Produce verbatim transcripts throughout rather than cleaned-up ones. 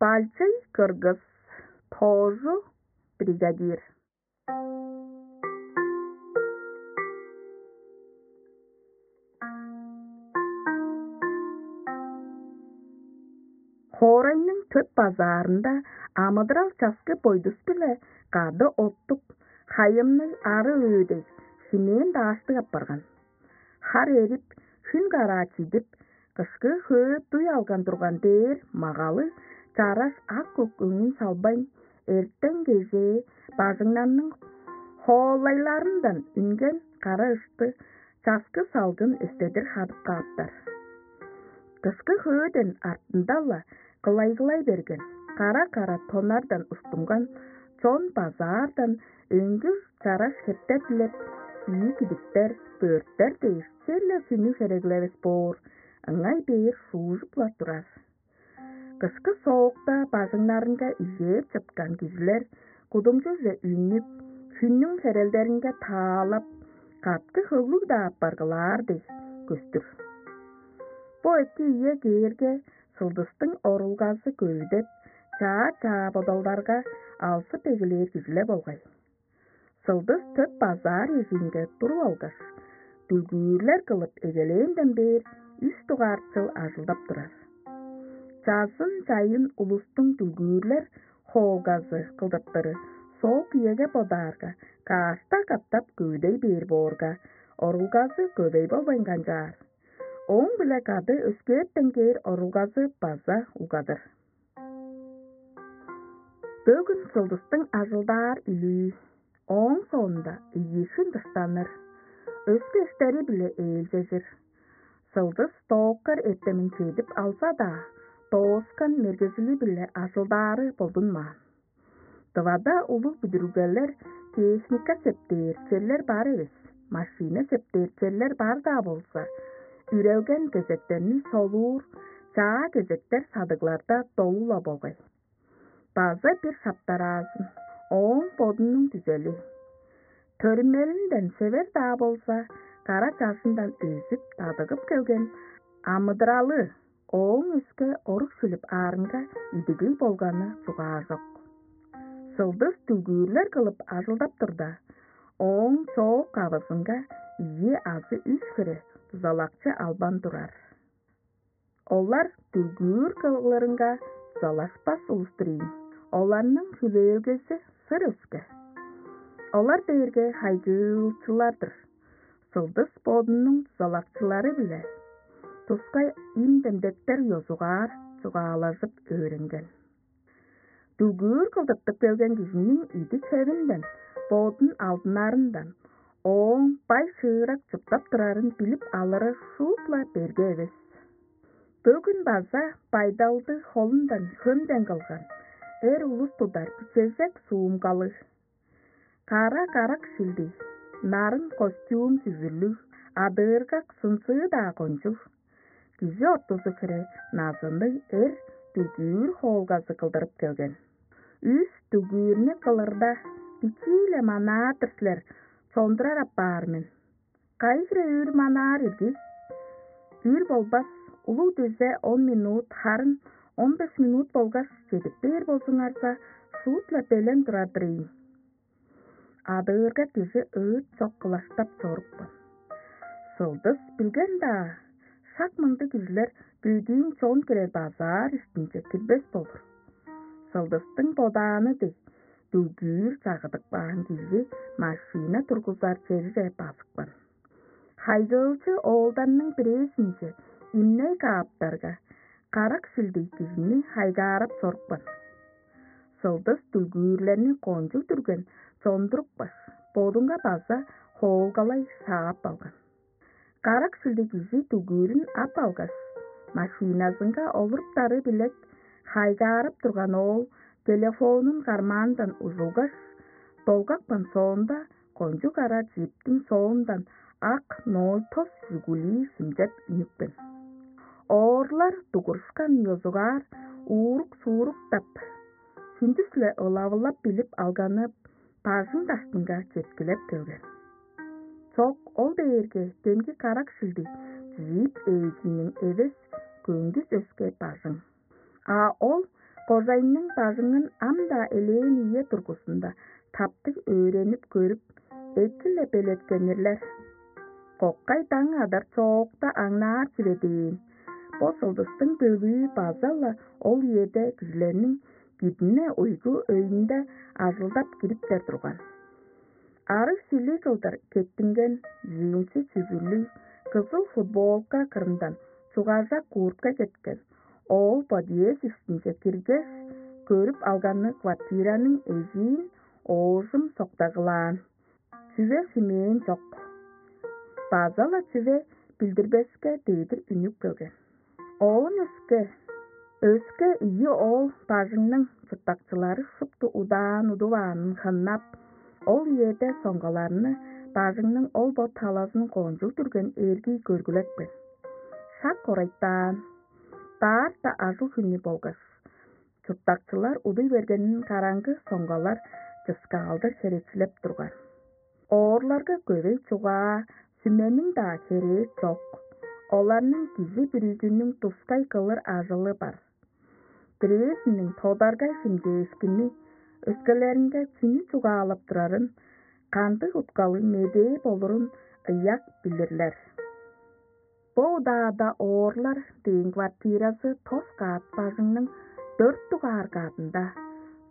Пальчый кыргыз, тоожу бригадир. Хоорайның төп базаарында амыдырал часкы бойдус-биле кады оттуп, хайымныг ары өөдей шимээн дааштыг апарган. Хар эрип, хүн караа чидип, кышкы хөө дуй алган турган дээр магалы чараш ак-көк өңүн салбайн, эртен-кежээ бажыңнарның хоолайларындан үнген кара ышты часкы салгын эстедир хадып кааптар. Кышкы хөөден артында-ла кылайгылай берген, кара-кара тоннардан уштунган чон базаардан өңгүр чараш хептер дилеп, кии кидиктер, бөрттер дээш, черле чүнү хереглевес боор, ыңай бээр шуужуп-ла турар. Кышкы соокта бажыңнарынга ижээп чыткан кижилер кудумчуже үнүп, хүннүң херелдеринге таалап, каткы хөглүг-даа апаргылаар дег көстүр. Бо эки үе кээрге, сылдыстың орулгазы көвүдеп, чаа-чаа бодалдарга алзып эгелээр кижилер болгай. Сылдыс төп базаар эжиинге туруп алгаш, дүлгүүрлер кылып эгелээнден бээр үш дугаар чыл ажылдап турар. Чазын-чайын улустуң дүлгүүрлер хоолгазы кылдыртыры соок үеге бодаарга, каашта катап көвүдей бээр боорга, орулгазы көвей болбайн канчаар. Ооң-биле кады өскээртен кээр орулгазы база угадыр. Бөгүн сылдыстың ажылдаар үлүү, ооң соонда ийи хүн дыштаныр, өске эштери-биле ээлчежир. Сылдыс дооккар эртемин чедип алза-даа, дооскан мергежили-биле ажылдаары болдунмаан. Тывада улуг бүдүрүлгелер, техника септээр черлер бар эвес, машина септээр черлер бар-даа болза, үрелген кезектерни солуур, чаа кезектер садыгларда долу-ла болгай. База бир шаптараазын, ооң бодунуң күзели. Төрүмелинден север-даа болза, кара чажындан өзүп, дадыгып келген амыдыралы ооң өске орук шилип аарынга идиглиг болганы чугаажок. Сылдыс дүлгүүрлер кылып ажылдап турда, ооң чоок кавызынга ийи азы үш хире дузалакчы албан турар. Олар дүлгүүр кылырынга дузалашпас улус-тур ийин. Оларның хүлээлгези сыр өске. Олар дээрге хайгыылчылар-дыр. Сылдыс бодунуң дузалакчылары-биле тускай им-демдектер ёзугаар чугаалажып өөренген. Дүлгүүр кылдыртып келген кижиниң идик-хевинден, бодун алдынарындан, ооң бай-шыырак чурттап турарын билип алыры шуут-ла берге эвес. Бөгүн база байдалды холундан хөмден кылган эр улус тудар бичежек суумгалыг, кара карак шилдиг, нарын костюм чүвүрлүг, адыыргак сынзыы-даа кончуг, кижи ортузу хире назынныг эр дүлгүүр хоолгазы кылдырып келген. Үш дүлгүүрнү кылырда, бичии-ле манаар-дыр силер, чондурар апаар мен. Кайы хире үр манаар ирги? Үр болбас, улуг дизе он минут, харын он беш минут болгаш чедип бээр болзуңарза, шуут-ла белен турар-дыр ийин. Адыырга кижи ыыт чок кылаштап чорупкан. Сылдыс билген-даа, шак мындыг кижилер бөдүүн чон кирер базаар иштинче кирбес болур. Сылдыстың бодааны дег, дүлгүүр чагыдып каан кижи машина тургузар черже базыпкан. Хайгыылчы оолдарның бирээзинче имней кааптарга, карак шилдиг кижини хайгаарап чорупкан. Сылдыс дүлгүүрлерни кончуг дүрген чондурупкаш, бодунга база хоолгалай шаап алган. Карак шилдиг кижи дүлгүүрүн ап алгаш, машиназынга олуруптары билек хайгаарап турган оол телефонун кармаандан ужулгаш, долгапкан соонда, кончуг ара джиптиң соондан ак ноль тос «Жигули» шимчеп үнүпкен. Оорлар дугурушкан ёзугаар уурук-сууруктап, хүндүс-ле ылавылап билип алганы бажың даштынга четкилеп келген. Чок, ол дээрге демги карак шилдиг джип ээзиниң эвес, көңгүс өске бажың. А ол Кожайның бажыңын ам-даа элээн ийе тургузунда таптыг өөренип көрүп, эки-ле белеткенирлер. Кокай даң адар чоокта аңнаар чүве дээн. Бо сылдыстың бөлүү база-ла ол үеде кижилерниң кидине уйгу өйүнде ажылдап кириптер турган. Арыг шили кылдыр кеттинген джинсы чүгүрлүг, кызыл футболка кырындан чугажак куртка кеткен. Ол подъезд иштинче киргеш, көрүп алганы квартираның эжиин оожум соктагылаан. Чүве шимээн чок. База-ла чүве билдирбеске дедир үнүп келген. Оон өске, өске ийи оол бажыңның чурттакчылары шупту удаан удуваанын хыннап, ол үеде соңгаларны бажыңның ол бо талазын кончуг дүрген эргий көргүлепкен. Шак орайтаан, баарта ажыл хүнү болгаш, чурттакчылар удуй бергенин караңгы соңгалар чыскаалдыг херечилеп турган. Оорларга көвей чугаа, сүмениң-даа херээ чок. Оларның кижи бүрүзүнүң тускай кылыр ажылы бар. Бирээзиниң тодаргай химчээшкини, өскелеринге чүнү чугаалап турарын, кандыг уткалыг медээ болурун ыяк билирлер. Бо удаада оорлар дээн квартиразы тос каат бажыңның дөрт дугаар каадында,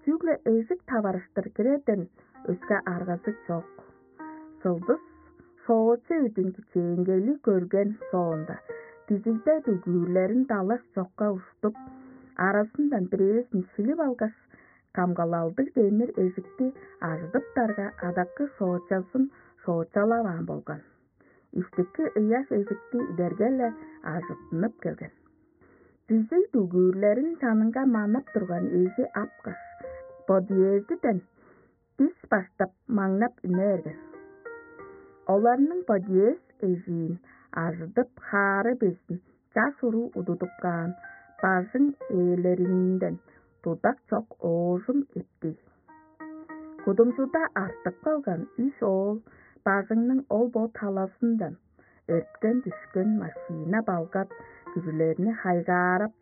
чүгле эжик таварыштыр кирерден өске аргазы чок. Сылдыс соочу өдүн кичээнгейли көрген соонда, дизигде дүгүүрлерин далаш чокка уштуп, аразындан бирээзин шилип алгаш, камгалалдыг демир эжикти ажыдыптарга, адаккы соочазын соочалаваан болган. Иштики ыяш эжикти идерге-ле ажыттынып келген. Дизиг дүгүүрлерин чанынга манап турган эжи апкаш, подъездиден дис баштап маңнап үне берген. Оларның подъезд эжиин ажыдып хаары безин чаш уруу удудуп каан бажың ээлеринден тудак чок оожум эптий. Кудумчуда артып калган үш оол бажыңның ол-бо талазындан эрткен-дүшкен машина-балгат кижилерни хайгаарап,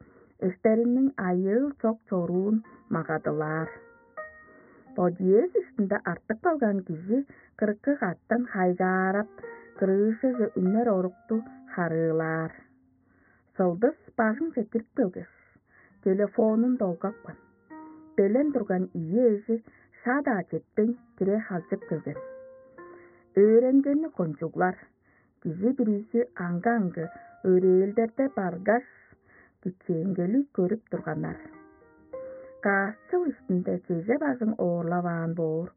эштериниң айыыл чок чоруун магадылаар. Подъезд иштинде артып калган кижи кырыкы каттан хайгаарап, крышаже үнер орукту харыылаар. Сылдыс бажыңче кирип келгеш, телефонун долгапкан. Белен турган ийи эжи шаа-даа четпейн кире халчып келген. Өөренгени кончуглар, кижи бүрүзү аңгы-аңгы өрээлдерде баргаш, кичээнгели көрүп турганнар. Каъсчыл иштинде чеже бажың оорлаваан боор,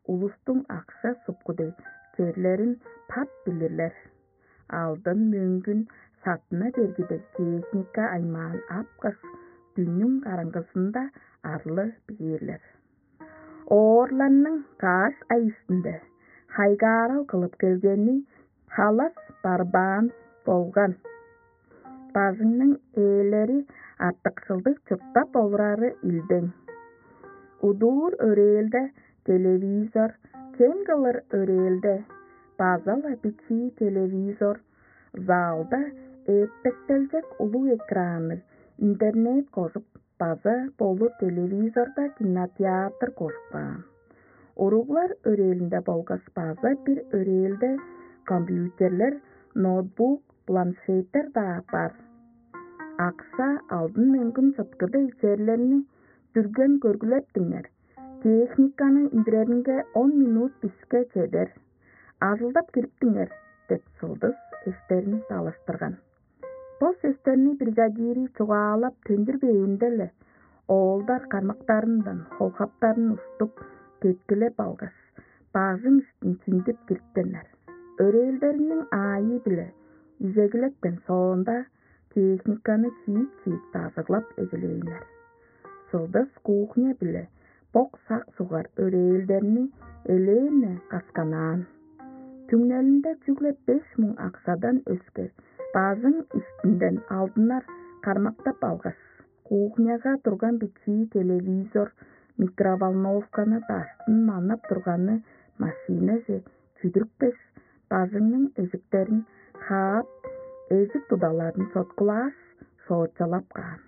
улустуң акша-сукку дег черлерин пап билирлер. Алдын-мөңгүн саттына бергиде техника аймаан апкаш, дүннүң караңгызында арлы бээрлер. Оорларның каш ай иштинде хайгаарал кылып келгени халас барбаан болган. Бажыңның ээлери артыкшылдыг чурттап олурары илдең. Удуур өрээлде телевизор, кем кылыр өрээлде база-ла бичии телевизор, залда эптектелчек улуг экранныг интернет кожуп, база болур телевизорда кинотеатр кожуп каан. Уруглар өрээлинде болгаш база бир өрээлде компьютерлер, ноутбук, планшеттер-даа бар. Акша, алдын-мөңгүн чыткы дег черлерни дүрген көргүлептиңер. Техниканы үндүреринге он минут биске чедер. Ажылдап кириптиңер деп, сылдыс эштерин далаштырган. Бо сөстерни бригадири чугаалап төндүрбээнде-ле, оолдар кармактарындан холхаптарын уштуп, кеткилеп алгаш, бажың иштин чиндип кирипкеннер. Өрээлдериниң аайы-биле изегилепкен соонда, техниканы чиик-чиик дажыглап эгелээннер. Сылдыс кухня биле бок-сак сугар өрээлдерни элээн-не касканаан. Түңнелинде чүгле беш муң акшадан өске бажың иштинден алдынар кармактап алгаш, кухняга турган бичии телевизор, микроволновканы даштын манап турганы машинаже чүдүрүпкеш, бажыңның эжиктерин хаап, эжик тудаларын соткулааш, соочалап каан.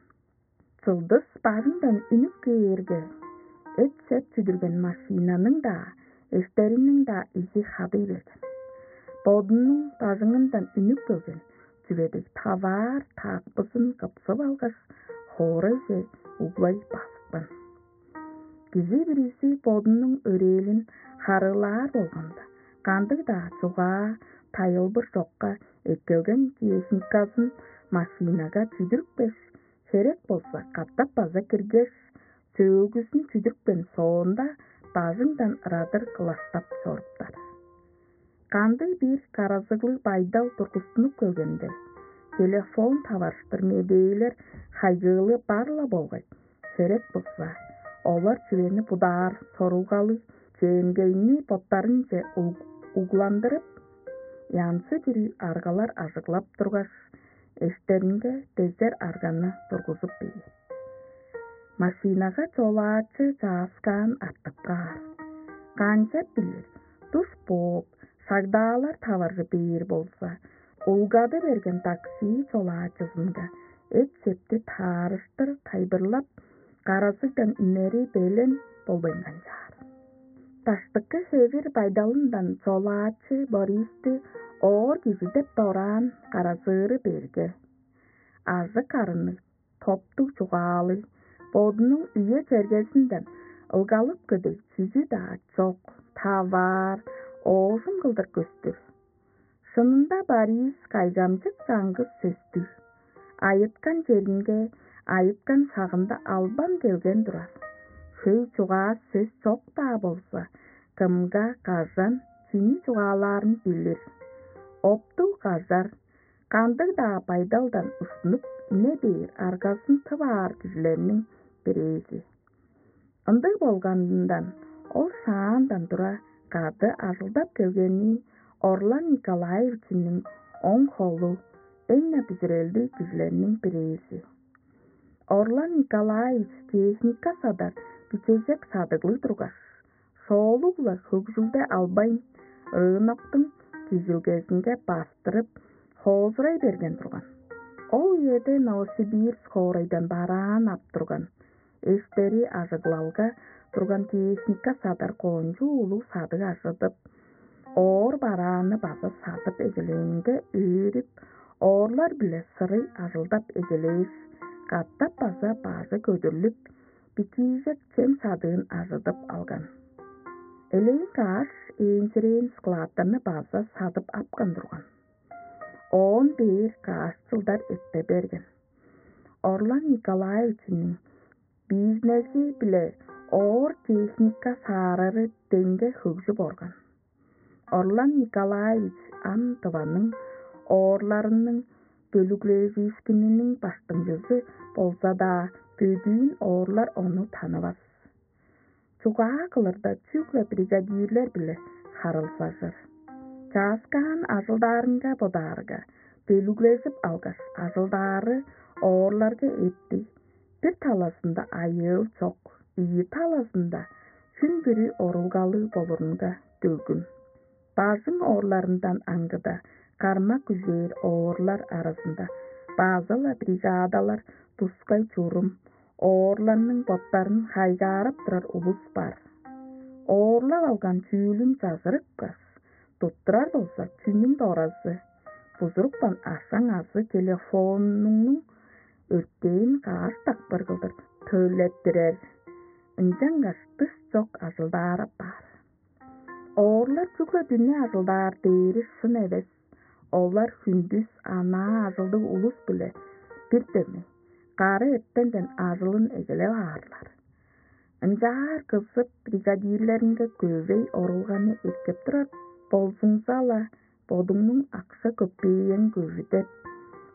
Чылдыс бажыңдан үнүп кээрге, эт-сеп чүдүрген машинаның-даа, эштериниң-даа изи хадый берген. Бодунуң бажыңындан үнүп келген чүве дег таваар таакпызын кыпсып алгаш, хоорайже углай базыпкан. Кижи бүрүзү бодунуң өрээлин харыылаар болганда, кандыг-даа чугаа, тайылбыр чокка эккелген техниказын машинага чүдүрүпкеш, херек болза катап база киргеш, сөөлгүзүн чүдүрүпкен соонда, бажыңдан ырадыр кылаштап чоруптар. Кандыг-бир каразыглыг байдал тургустунуп келгенде, телефон таварыштыр медээлер хайгыылы бар-ла болгай. Херек болза, олар чүвени будаар сорулгалыг чээнгейни боттарынче уг-, угландырып, янзы-бүрү аргалар ажыглап тургаш, эштеринге дезер арганы тургузуп бээр. Машинага чолаачы чааскаан артып каар. Канчап билир, туш бооп, шагдаалар таваржы бээр болза, улгады берген такси чолаачызынга эт-септи таарыштыр тайылбырлап, каразыгдан үнери белен болбайн канчаар. Даштыкы хевир байдалындан чолаачы Бористи оор кижи деп дораан каразыыры берге, ажык-арынныг, топтуг чугаалыг, бодунуң үе-чергезинден ылгалып кедей чүзү-даа чок, таваар, оожум кылдыр көстүр. Шынында Борис кайгамчык чаңгыс сөстүг. Айыткан черинге, айыткан шагында албан келген турар. Хөй чугаа сөс чок-даа болза, кымга, кажан, чүнү чугаалаарын билир. Оптуг кажар, кандыг-даа байдалдан уштунуп үне бээр аргазын тып аар кижилерниң бирээзи. Ындыг болганындан ол шаандан тура кады ажылдап келгени Орлан Николаевичиниң оң холу, эң-не бүзүрелдиг кижилерниң бирээзи. Орлан Николаевич техника садар бичежек садыглыг тургаш, шоолуг-ла хөгжүлде албайн, рыноктуң кижилгезинге бастырып, хоозурай берген турган. Ол үеде Новосибирск хоорайдан бараан ап турган, эштери ажыглалга турган техника садар кончуг улуг садыг ажыдып, оор барааны база садып эгелээнге өөрүп, оорлар-биле сырый ажылдап эгелээш, катап база бажы көдүрлүп, бичиижек чем садыын ажыдып алган. Элээн каш ээнчирээн складтарны база садып апкан турган. Оон бээр каш чылдар эрте берген. Орлан Николаевичиниң бизнези-биле оор техника саарары деңге хөгжүп орган. Орлан Николаевич ам Тываның оорларының бөлүглежиишкининиң баштыңчызы болза-даа, бөдүүн оорлар ону танывас. Чугаа кылырда чүгле бригадирлер-биле харылзажыр. Чааскаан ажылдаарынга бодаарга, бөлүглежип алгаш, ажылдаары оорларга эптиг. Бир талазында айыыл чок, ийи талазында хүн бүрү орулгалыг болурунга дөгүн. Бажың оорларындан аңгыда кармак күзээр оорлар аразында база-ла бригадалар тускай чурум, оорларның боттарын хайгаарап турар улус бар. Оорлап алган чүүлүн чажырыпкаш, туттурар болза, чүнүң доразы, бузурупкан ашаң азы телефонуңнуң өртээн каш дакпыр кылдыр төлеттирер. Ынчангаш дыш чок ажылдаар апаар. Оорлар чүгле дүне ажылдаар дээри шын эвес. Олар хүндүс анаа ажылдыг улус-биле бир дөмей, кары эртенден ажылын эгелеп аарлар. Ынчаар кызып, бригадирлеринге көвей орулганы эккеп турар болзуңза-ла, бодуңнуң акша-көпеең көвүдеп,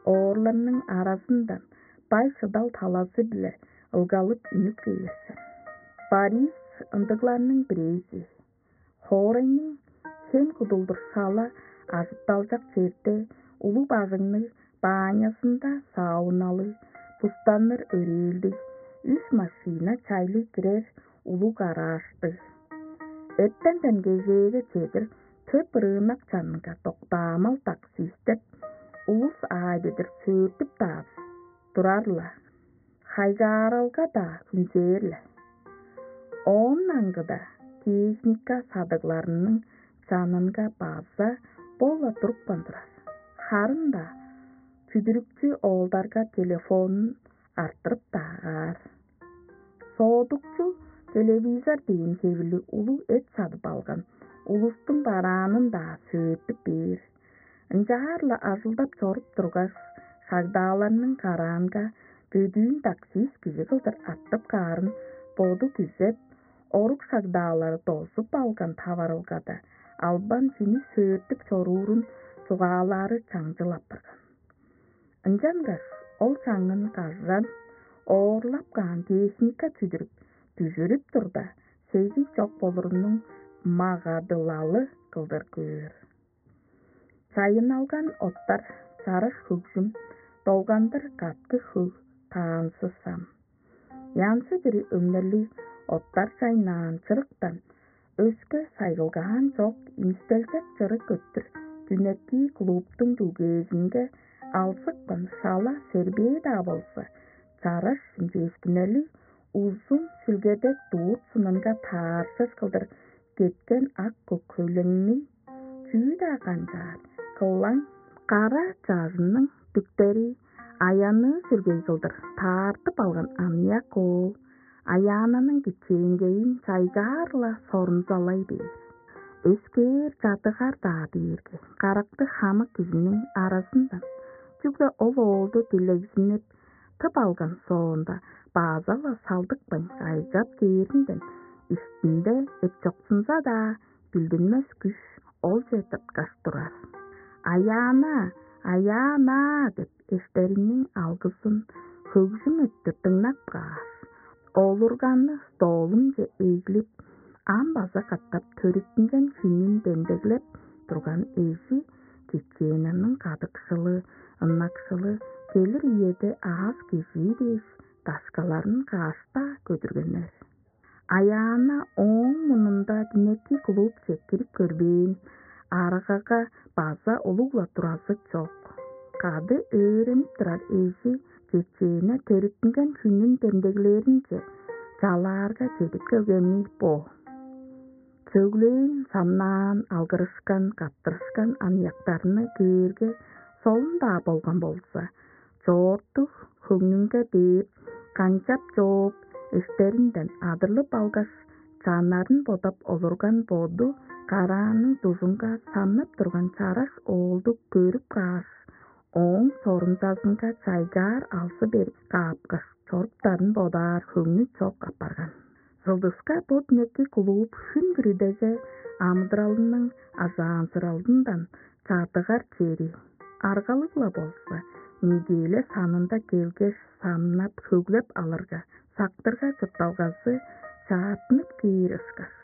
оорларның аразындан бай-шыдал талазы-биле ылгалып үнүп кээр сен. Борис ындыгларның бирээзи. Хоорайның хем кудулдур шала ажытталчак черде улуг бажыңныг, баанньазында сауналыг, бустанныр өрээлдиг, үш машина чайлыг кирер улуг гараждыг. Эртенден кежээге чедир төп рынок чанынга доктаамал таксистеп, улус аайдыдыр сөөртүп-даа турар-ла. Кайгааралга-даа хүнзээр-ле. Оон аңгыда техника садыгларының чанынга база бо-ла турупкан турар. Харын-даа чүдүрүкчү оолдарга телефонун арттырып-даа каар. Соодукчу телевизор дээн хевирлиг улуг эт садып алган улустуң бараанын-даа сөөртүп бээр. Ынчаар-ла ажылдап чоруп тургаш, шагдааларның караанга бөдүүн таксист кижи кылдыр аттып каарын боду күзеп, орук шагдаалары дозуп алган таварылгада албан чүнү сөөртүп чоруурун чугаалаары чаңчыл апарган. Ынчангаш ол чаңын кажан оорлап каан техника чүдүрүп, дүжүрүп турда, сезин чок болурунуң магадылалы кылдыр көөр. Чайынналган оттар, чараш хөгжүм, долгандыр каткы хөг, таанзы сам. Янзы-бүрү өңнерлиг оттар чайнаан чырыктан өске сайгылгаан чок, имистелчек чырык өттүр дүнекии клубтуң дүлгээзинге алзыпкан шала сербээ-даа болза, чараш шимчээшкиннерлиг узун шилгедек дуур сынынга таарышар кылдыр кеткен ак көк хөйлеңниң чүү-даа канчаар, кылаң кара чажынның дүктери аянныы сүргей кылдыр таартып алган аныяк оол Аяананың кичээнгейин чайгаар-ла сорунзалай бээр. Өскээр чадыгар-даа дээрге каракты хамык кижиниң аразындан, чүгле ол оолду дилегзинип, тып алган соонда, база-ла салдыкпайн кайгап кээринден иштинде эпчоксунза-даа, билдинмес күш олче тырткаш турар. «Аяана, Аяана!» — деп эштериниң алгызын хөгжүм өттүр дыңнап кааш, олурганны столунче эглип, ам база катап төрүттүнген хүнүн демдеглеп турган эжи Чеченаның кадыкшылы, ынакшылы келир үеде аас кежии дээш, дашкаларын кааш-даа көдүргеннер. Аяана ооң мурнунда динеки клубче кирип көрбээн, аргага база улуг-ла туразы чок. Кады өөренип турар эжи Чечена төрүттүнген хүнүн демдеглээринче чалаарга чедип келгени бо. Сөглээн, самнаан, алгырышкан, каттырышкан аныяктарны көөрге, солун-даа болган болза, чоорту хөңнүнге дээп, канчап чооп, эштеринден адырлып алгаш, чаннарын бодап олурган боду караанның дужунга самнап турган чараш оолду көрүп кааш, ооң сорунзазынга чайгаар алзы берип каапкаш, чоруптарын бодаар хөңнү чок апарган. Сылдыска бот-некти кулууп, хүн бүрүдеге амыдыралының ажаанзыралындан чадыгар чери, аргалыг-ла болза, неделя санында келгеш, самнап, хөглеп алырга, сактырга чуртталгазы чаартынып кээр ышкаш.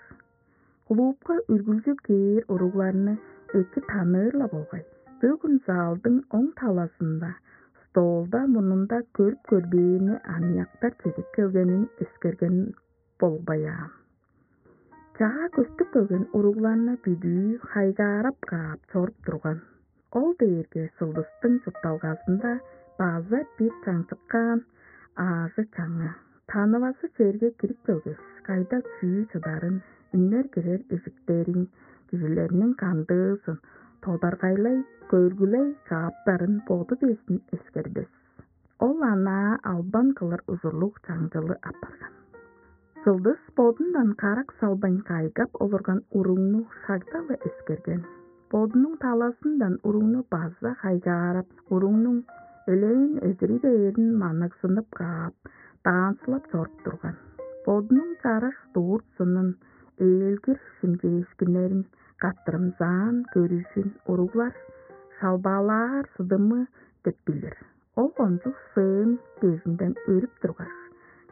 Клубка үргүлчү кээр уругларны эки таныыр-ла болгай. Бөгүн залдың оң талазында, столда мурнунда көрүп көрбээни аныяктар чедип келгенин эскерген болбаяан. Чаа көстүп келген уругларны бүдүү хайгаарап каап чоруп турган. Ол дээрге сылдыстың чуртталгазында база бир чаңчыккаан аажы-чаңы. Танывазы черге кирип келгеш, кайда чүү чыдарын, үнер кирер эжиктерин, кижилерниң кандыызын, тодаргайлай, көргүлей кааптарын боду безин эскербес. Ол анаа албан кылыр ужурлуг чаңчылы апарган. Сылдыс бодундан карак салбайн кайгап олурган уругну шагда-ла эскерген. Бодунуң талазындан уругну база хайгаарап, уругнуң элээн эдири бээрин маннаксынып каап, даансылап чоруп турган. Бодунуң чараш дурт-сынын, ээлгир шимчээшкиннерин, каттырымзаан көрүжүн уруглар шалбаалаар сыдымы деп билир. Ол кончуг сыын дезинден өрүп тургаш,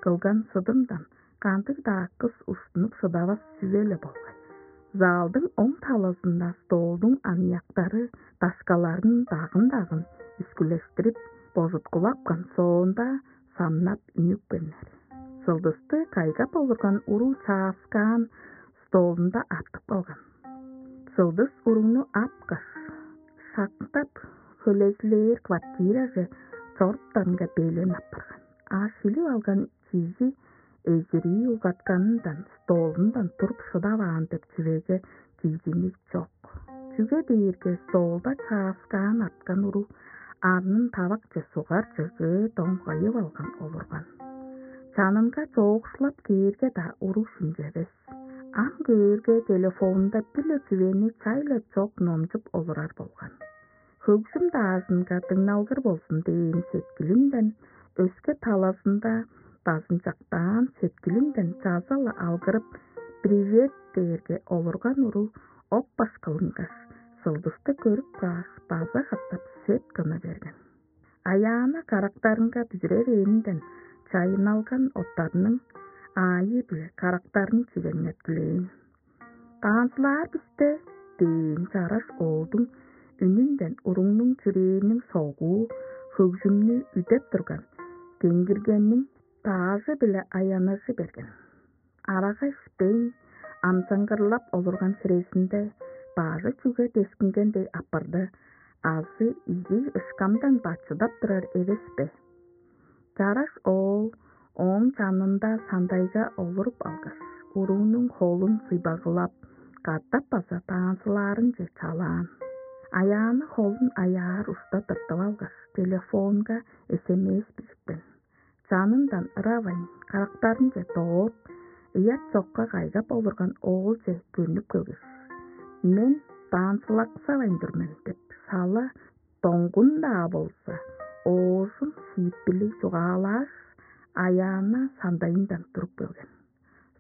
кылган сыдымдан кандыг-даа кыс уштунуп шыдавас чүве-ле болгай. Залдың оң талазында столдуң аныяктары дашкаларын дагын-дагын үскүлештирип, божуткулапкан соонда, самнап үнүпкеннер. Сылдысты кайгап олурган уруу чааскаан столунда артып калган. Сылдыс уругну апкаш, шактап, хөлезилээр квартираже чоруптарынга белен апарган. а шилип алган чижи эзирии улгатканындан, столундан туруп шыдаваан деп чүвеге кижинип чок. Чүге дээрге столда чааскаан арткан уруг арнын тавакче сугар чыгыы доңгайып алган олурган. Чанынга чоокшулап кээрге-даа уруг шимчевес. Ам көөрге, телефонунда бир-ле чүвени чай-ла чок номчуп олурар болган. Хөгжүм даажынга дыңналгыр болзун дээн сеткилинден, өске талазында дазынчактаан сеткилинден чаза-ла алгырып, «Привет!» дээрге олурган уруг оп-баш кылынгаш, Сылдысты көрүп кааш, база катап сет кына берген. Аяана карактарынга бүзүревээнинден чайынналган оттарының аайы-биле карактарын чигеңнеткилээн. «Танцылаар бисте» дээн чараш оолдуң үнүнден уругнуң чүрээниң согуу хөгжүмнү үдеп турган, кеңгиргенниң даажы-биле аяныжы берген. Арага ишпейн, амзаңгырлап олурган хирезинде бажы чүге дескинген дег апарды, азы ийи ышкамдан бачыдап турар эвес бе? Чараш оол ооң чанында сандайга олуруп алгаш, уруунуң холун суйбагылап, катап база танцылаарынче чалаан. Аяаны холун аяар ушта тыртып алгаш, телефонга эс эм эс бижипкен. Чанындан ыравайн, карактарынче дооп, ыят чокка кайгап олурган оолче чөнүп келгеш: «Мен танцылаксавайн тур мен» — деп, шала доңгун-даа болза, оожум шиитпирлиг чугаалааш, Аяана сандайындан туруп келген.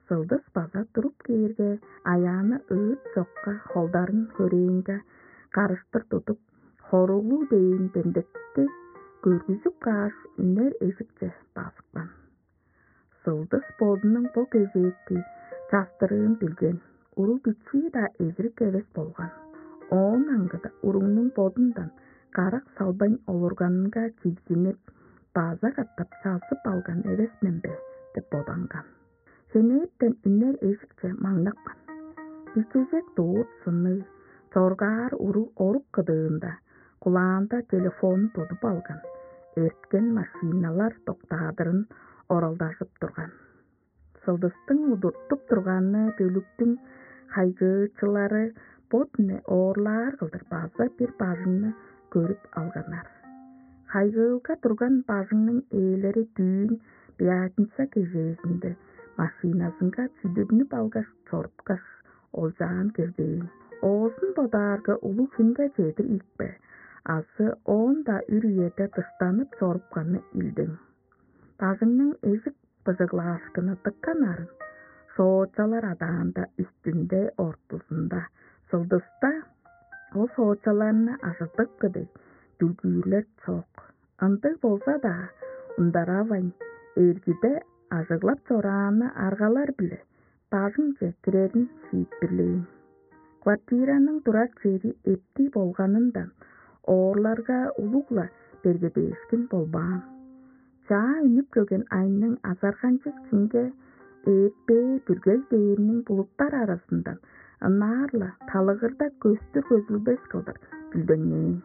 Сылдыс база туруп кээрге, Аяана ыыт чокка холдарын хөрээнге карыштыр тудуп, хоруглуг дээн демдекти көргүзүп кааш, үнер эжикче базыпкан. Сылдыс бодунуң бо кезээки частырыын билген, уруг бичии-даа эзирик эвес болган. Оон аңгыда уругнуң бодундан карак салбайн олурганынга чигзинип, база катап чазып алган эвес мен бе деп боданган. Хенээптен үнер эжикче маңнапкан. Бичежек дуур сынныг, чоргаар уруг орук кыдыында, кулаанда телефонун тудуп алган, эрткен машиналар доктаадырын оралдажып турган. Сылдыстың удуртуп турганы бөлүктүң хайгыычылары бо дүне оорлаар кылдыр база бир бажыңны көрүп алганнар. Хайгыылга турган бажыңның ээлери дүүн пятница кежээзинде машиназынга чүдүрнүп алгаш чорупкаш, олчаан келбээн. Оозун бодаарга, улуг хүнге чедир ийикпе азы оон-даа үр үеде дыштанып чорупканы илдең. Бажыңның эжик быжыглаашкыны дыка нарын, соочалар адаанда үстүнде, ортузунда. Сылдыста ол соочаларны ажыдыпкы дег дүлгүүрлер чок. Ындыг болза-даа, ундаравайн, эргиде ажыглап чорааны аргалар-биле бажыңче кирерин шиитпирлээн. Квартираның турар чери эптиг болганындан, оорларга улуг-ла бергедээшкин болбаан. Чаа үнүп келген айның азарганчыг чимге ээртпээ бүргей дээрниң булуттар аразындан ынаар-ла талыгырда көстүр көзүлбес кылдыр дүлдеңнээн.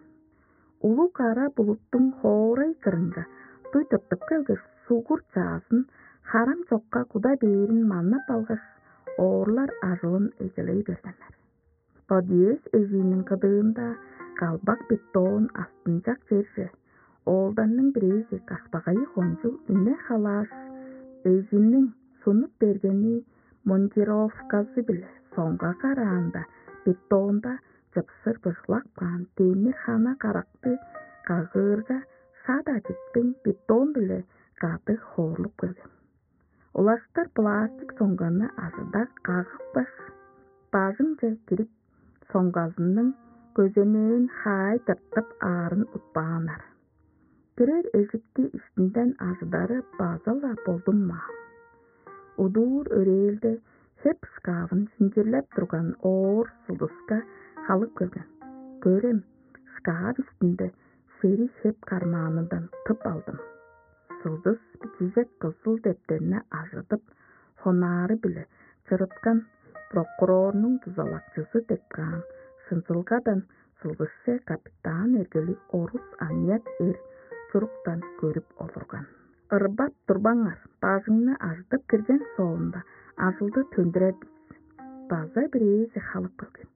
Улуг кара булуттуң хоорай кырынга дуй тыртып келгеш, сугур чаазын харам чокка куда бээрин маннап алгаш, оорлар ажылын эгелей бергеннер. Подъезд эжииниң кыдыында калбак бетон астынчак черже оолдарның бирээзи кашпагайы кончуг үне халааш, эжиниң сунуп бергени монтировказы-биле соңга караанда, бетонда чыпсыр быжыглап каан демир хана каракты кагыырга, шат ажыттың бетон-биле кады хоорлуп келген. Улаштыр пластик соңганы ажыда кагыпкаш, бажыңче кирип, соңгазының көземээн хаай тыртып аарын утпааннар. Кирер эжикти иштинден ажыдары база-ла болдунмаан. Удуур өрээлде хеп шкафын шинчирлеп турган оор Сылдыска халып келген. Көрем, шкаф иштинде шериг хеп кармаанындан тып алдым. Сылдыс бичижек кызыл дептерни ажыдып, хонары-биле чырыткан прокурорнуң дузалакчызы деп каан шынзылгадан Сылдысче капитан эргелиг орус аныяк эр чуруктан көрүп олурган. Ырбап турбаңар, бажыңны ажыдып кирген соонда, ажылды төндүрер бис. База бирээзи халып келген.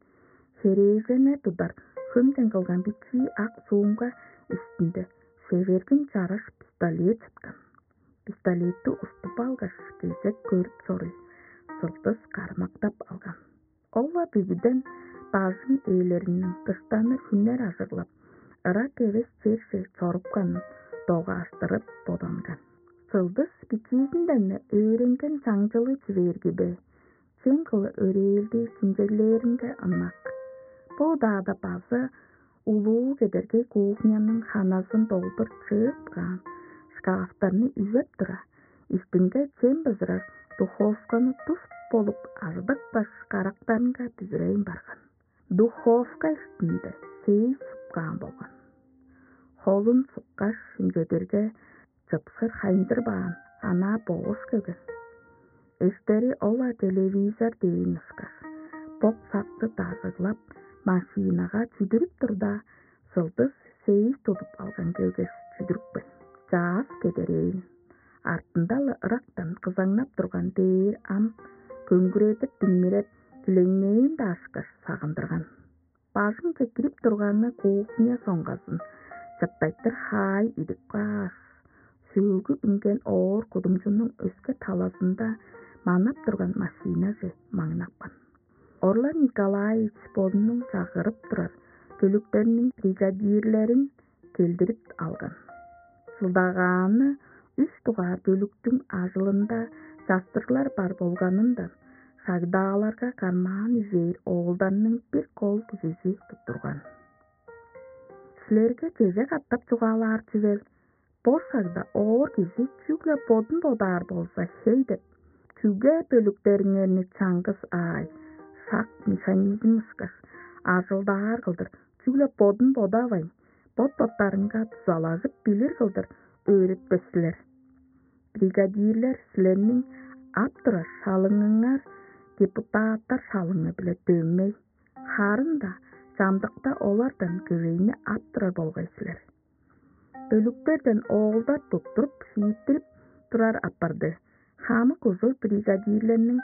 Херээженнер тудар хөмден кылган бичии ак суумга үстүнде шевергин чараш пистолет чыткан. Пистолетти уступ алгаш, кезек көрүп чоруй, сылдыс кармактап алган. Ол-ла бүгүден бажың ээлериниң дыштаны хүннер ажыглап, ырак эвес черже чорупканын догааштырып боданган. Сылдыс бичиизинден-не өөренген чаңчылы чүвээрги бе, чем кылы өрээлдээ чимчеглээринге ынак. Бо удаада база улуу кедергей кухняның ханазын долдур чыып каан шкафтарны үзеп тура, иштинге чем бызырар духовканы тус болуп ажыдыпкаш, карактарынга бүзүрейн барган. Духовка иштинде сейс сыпкаан болган. Холун сыпкаш, имчедирге, чыпшыр хайындырбаан, анаа боош келген. Эштери ол-ла телевизор дээн ышкаш, бок-сакты дажыглап, машинага чүдүрүп турда, сылдыс сейс тудуп алган келгеш, чүдүрүпкен. Чаъс кедерээн. Артында-ла ырактан кызаңнап турган дээр ам көңгүредип диңмиреп, килеңнээн-даа ышкаш сагындырган. Бажыңче кирип турганы кухня соңгазын чыптайтыр хаай идип кааш, сөөлгү үнген оор кудумчунуң өске талазында манап турган машинаже маңнапкан. Орлан Николаевич бодунуң чагырып турар бөлүктериниң бригадирлерин келдирип алган. Сылдагааны үш дугаар бөлүктүң ажылында частырыглар бар болганындан, шагдааларга кармаан ижээр оолдарның бир кол кижизи туттурган. «Силерге чеже катап чугаалаар чүвел, бо шагда оор кижи чүгле бодун бодаар болза хей деп, чүге бөлүктериңерни чаңгыс аай, шак механизм ышкаш ажылдаар кылдыр чүгле бодун бодавайн, бот-боттарынга дузалажып билир кылдыр өөретпес силер? Бригадирлер силерниң ап турар шалыңыңар депутаттар шалыңы-биле дөмей, харын-даа чамдыкта олардан көвейни ап турар болгай силер. Бөлүктерден оолдар туттуруп, шииттирип турар апарды. Хамык ужур бригадирлерниң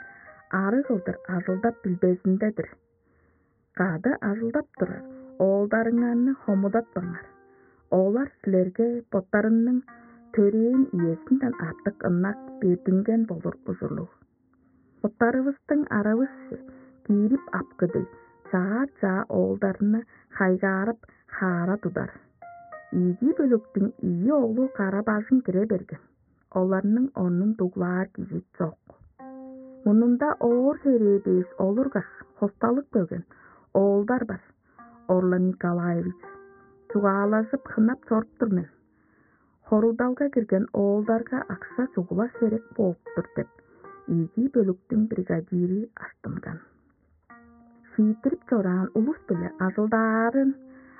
ары кылдыр ажылдап билбезинде-дир. Кады ажылдап турар оолдарыңарны хомудатпаңар. Олар силерге боттарының төрээн үезинден артык ынак бердинген болур ужурлуг. Боттарывыстың аравысче киирип апкы дег, чаа-чаа оолдарны хайгаарып, хаара тудар. Ийиги бөлүктүң ийи оглу кара-бажың кире берген. Оларның орнун дуглаар кижи чок. Мурнунда оор херээ дээш олургаш, хосталып келген оолдар бар. Орлан Николаевич, чугаалажып, хынап чоруп тур мен. Хоругдалга кирген оолдарга акша чугула херек бооп тур деп, ийиги бөлүктүң бригадири аштынган. Шииттирип чораан улус-биле ажылдаарын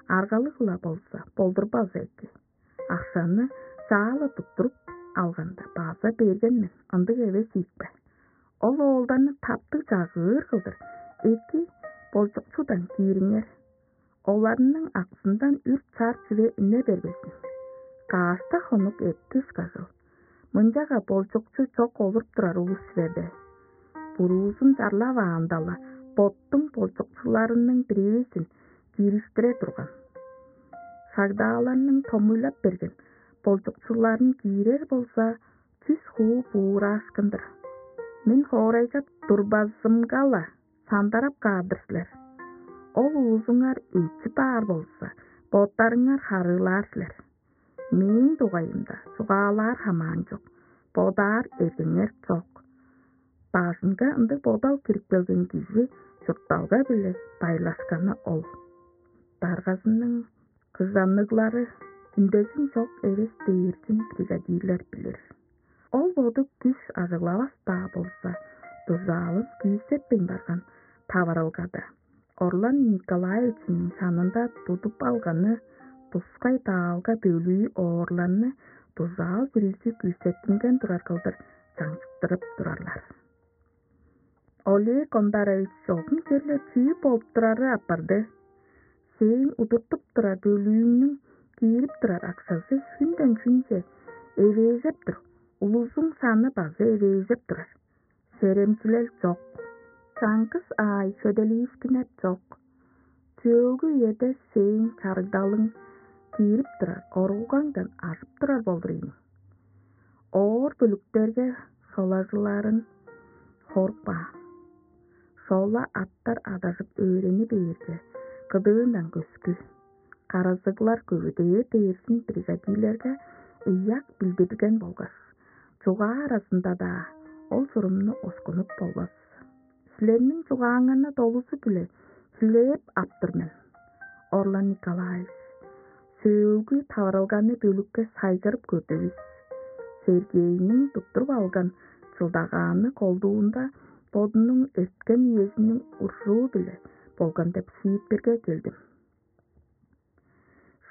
аргалыг-ла болза, болдурбазы эки. Акшаны чаа-ла туттуруп алганда база берген мен, ындыг эвес ийикпе? Ол оолдарны таптыг чагыыр кылдыр эки болчукчудан киириңер. Оларның аксындан үр-чар чүве үне бербезин. Каш-даа хонук эртти ышкажыл. Мынчага болчукчу чок олуруп турар улус силер бе? Буруузун чарлаваанда-ла, боттуң болчукчуларының бирээзин киириштире турган. Шагдааларның томуйлап берген болчукчуларын киирер болза, чүс хуу буураашкын-дыр. Мен хоорайга турбазымга-ла сандарап каар-дыр силер. Ол уузуңар өчүп аар болза, боттарыңар харыылаар силер. Мээң дугайымда чугаалаар хамаан чок, бодаар эргеңер чок. Бажыңга ындыг бодал кирип келген кижи чуртталга-биле байырлашканы ол. Даргазының кыжанныглары үндезин чок эвес дээрзин бригадирлер билир. Ол боду күш ажыглавас-даа болза, дужаалын күүсетпейн барган таварылгада Орлан Николаевичиниң шанында тудуп алганы тускай даалга бөлүү оорларны дужаал бүрүзү күүсеттинген турар кылдыр чаңчыктырып турарлар. Олег Ондарович, чогум черле чүү болуп турары апарды? Сээң удуртуп турар бөлүүңнүң киирип турар акшазы хүнден хүнче эвээжеп тур, улузуң саны база эвээжеп турар. Серемчилел чок. Чаңгыс аай шөделиишкиннер чок. Сөөлгү үеде сээң чарыгдалың киирип турар, оругаңдан ажып турар болдур ийин. Оор бүлүктерге шолажыларын хорукпаан. Шола аттар адажып өөрени бээрге, кыдыындан көскү. Каразыглар көвүдээр дээрзин бригадирлерге ыяк билдирген болгаш, чугаа аразында-даа ол чурумну оскунуп болбас. Силерниң чугааңарны долузу-биле хүлээп ап тур мен, Орлан Николаевич. Сөөлгү таварылганы бөлүкке сайгырып көрдүвүс. Сергейниң туттуруп алган чылдагааны колдуунда бодунуң эрткен үезиниң уржуу-биле болган деп шиитпирге келдим.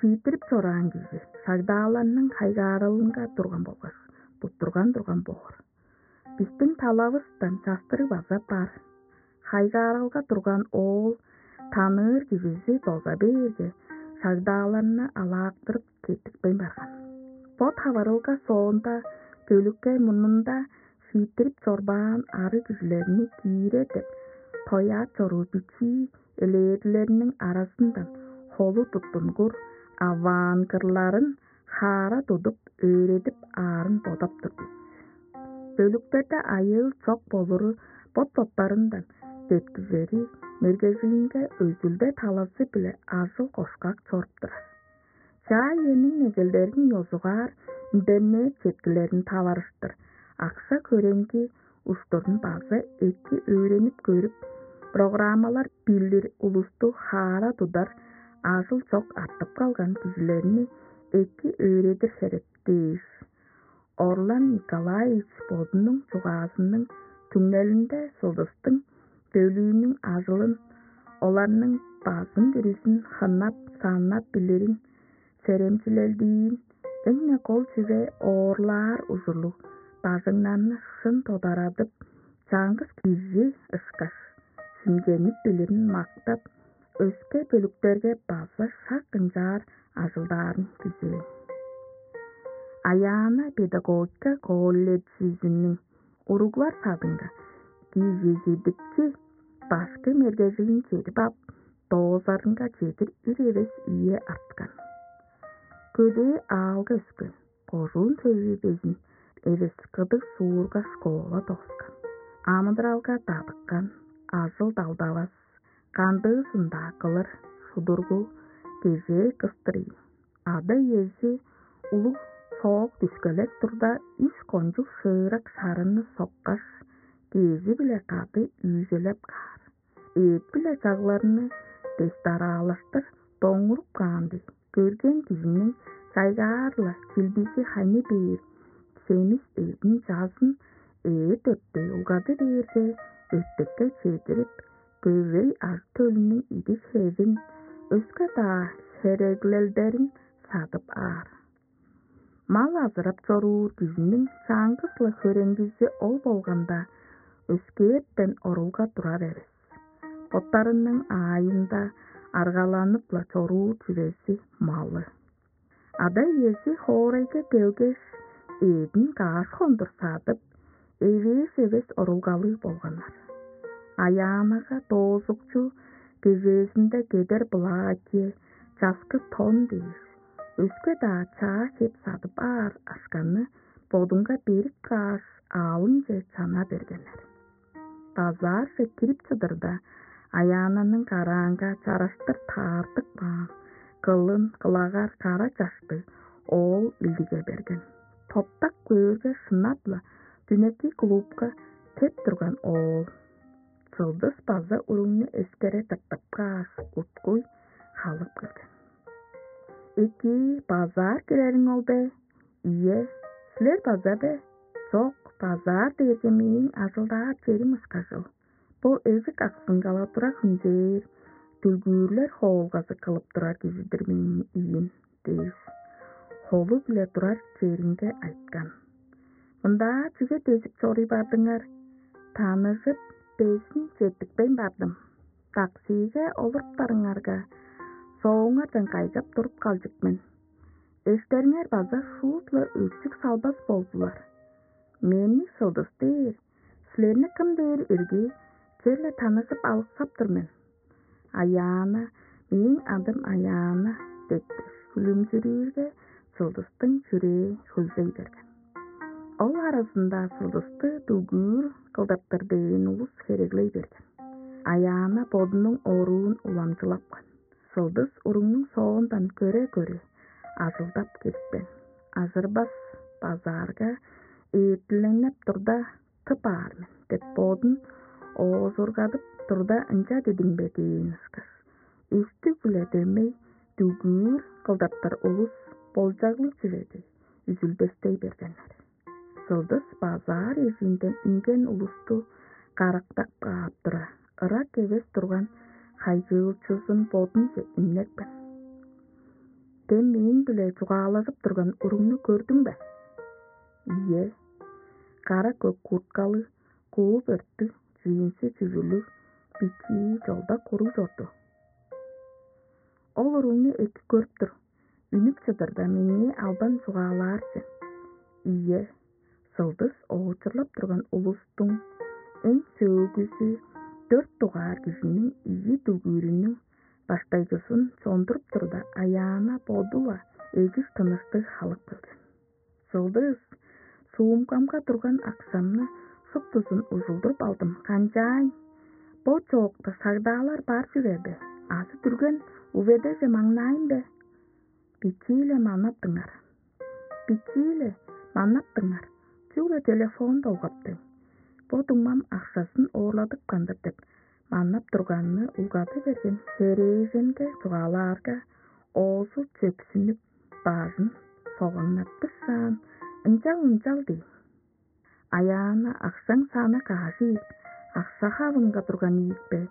Шииттирип чораан кижи шагдааларның хайгаарылынга турган болгаш, туттурган турган боор. Бистиң талавыстан частырыг база бар. Хайгаарылга турган оол таныыр кижизи доза бээрге, шагдааларны алаактырып четтикпейн барган. Бо таварылга соонда бөлүкке мурнунда шииттирип чорбаан ары кижилерни киире деп тояап чоруур бичии элээрлерниң аразындан холу туттунгур аваан кырларын хаара тудуп, өөредип аарын бодап тур бис. Бөлүктерде айыыл чок болуру бот-боттарындан деткижери, мергежилинге өзүлде талазы-биле ажыл-кошкак чоруп турар. Чаа иениң негелдерин ёзугаар, үндемээр четкилерин таварыштыр, акша-көреңги уштурун база эки өөренип көрүп, программалар билир улусту хаара тудар, ажыл чок артып калган кижилерни эки өөредир херек дээш. Орлан Николаевич бодунуң чугаазының түңнелинде сылдыстың бөлүүнүң ажылын, оларның базын бүрүзүн хынап-саннап билирин, серемчилелдиин, эң-не кол чүве оорлаар ужурлуг бажыңнарны шын тодарадып, чаңгыс кижи ышкаш, шимченип билирин мактап, өске бөлүктерге база шак ынчаар ажылдаарын күзээн. Аяана педагогика колледжизиниң уруглар садынга кижизидикчи башкы мергежилин чедип ап, доозарынга чедир үр эвес үе арткан. Көдээ аалга өскен, кожуун төвү безин эвес кыдыг суурга школа дооскан. Амыдыралга дадыккан, ажыл-далдавас, кандыызын-даа кылыр шудургу, кежээ кыстыр ийин. Ада-иези улуг соок дүшкелеп турда, үш кончуг шыырак шарыны соккаш, кежи-биле кады үүжелеп каар. Эът-биле чагларны дестараалаштыр доңуруп каан дег, көрген кижиниң чайгаар-ла чилбизи хайны бээр, семис эъдин чазын эът өрттей улгады бээрге, өртекке чедирип, көвей ажы-төлүнүң идиг-хевин, өске-даа хереглелдерин садып аар. Мал азырап чоруур кижиниң чаңгыс-ла хөреңгизи ол болганда, өскээртен орулга турар эвес. Боттарының аайында аргаланып-ла чоруур чүвези малы. Ада-иези хоорайга келгеш, эъдин каш хондур садып, эвээш эвес орулгалыг болганнар. Аяанага доозукчу кежээзинде кедер платье, часкы тон дээш, өске-даа чаа хеп садып аар акшаны бодунга берип кааш, аалынче чана бергеннер. Базаарже кирип чыдырда, Аяананың караанга чараштыр таартып каан, кылын кылагар кара чаштыг оол илдиге берген. Топтак көөрге, шынап-ла дүнеки клубка кеп турган оол. Сылдыс база уругну эскере тыртып кааш, уткуй халып келген. «Эки, базаар кирериң ол бе?» «Ийе, силер база бе?» «Чок, базаар дээрге мээң ажылдаар черим ышкажыл. Бо эжик аксынга-ла тура хүнзээр, дүлгүүрлер хоолгазы кылып турар кижи-дир мээң ийим», — дээш, холу-биле турар черинге айткан. «Мындаа чүге дезип чоруй бардыңар? Таныжып, безин четтикпейн бардым. Таксиге олуруптарыңарга, соогуңардан кайгап туруп калчык мен. Эштериңер база шуут-ла өчүк салбас болдулар. Мени Сылдыс дээр, силерни кым дээр ирги, черле таныжып алыксап тур мен. Аяана, мээң адым Аяана деткеш, хүлүмчүрүүрге, Сылдыстың чүрээ хөлзей берген. Ол аразында Сылдысты дүгүүр кылдаптар дээн улус хереглей берген. Аяана бодунуң оруун уламчылапкан. Сылдыс уругнуң соондан көре-көре ажылдап кирипкен. Ажырбас базаарга ээртиленнеп турда, тып аар мен деп бодун оожургадып турда, ынча дидиң бе дээн ышкаш, өстүг-биле дөмей дүгүүр кылдаптар улус болчаглыг чүве дег, үзүлбестей бергеннер. Сылдыс базаар эжиинден үнген улусту карактап каап тура, ырак эвес турган хайгыылчызын бодунче имнепкен. Дем мээң-биле чугаалажып турган уругну көрдүң бе? Ийе, кара көк курткалыг, куу бөрттүг, джинси чүвүлүг бичии чолда куруг чорду. Ол уругну эки көрүп тур, үнүп чыдырда меңээ албан чугаалаар сен. Ийе, Сылдыс оочурлап турган улустуң эң сөөгүзү дөрт дугаар кижиниң ийи дүгүүрүнүң баштайгызын чондуруп турда, Аяана боду-ла эжик тыныштыг халып келген. Сылдыс, суумкамга турган акшамны шуптузун ужулдуруп алдым, канчаайн? Бо чоокта сагдаалар бар чүве бе? Азы дүрген уведеже маңнаайн бе? Бичии-ле манап дыңар. Бичии-ле манап дыңар. Чүгле телефон долгап дег. Бо дуңмам акшазын оорладыпкан-дыр деп манап турганны улгады берген херээженге чугаалаарга, оозу чөпсүнүп, бажын согаңнаттышаан, ынчал-ынчал дий. Аяана, акшаң саны каш ийик, акша хавынга турган ийик бе?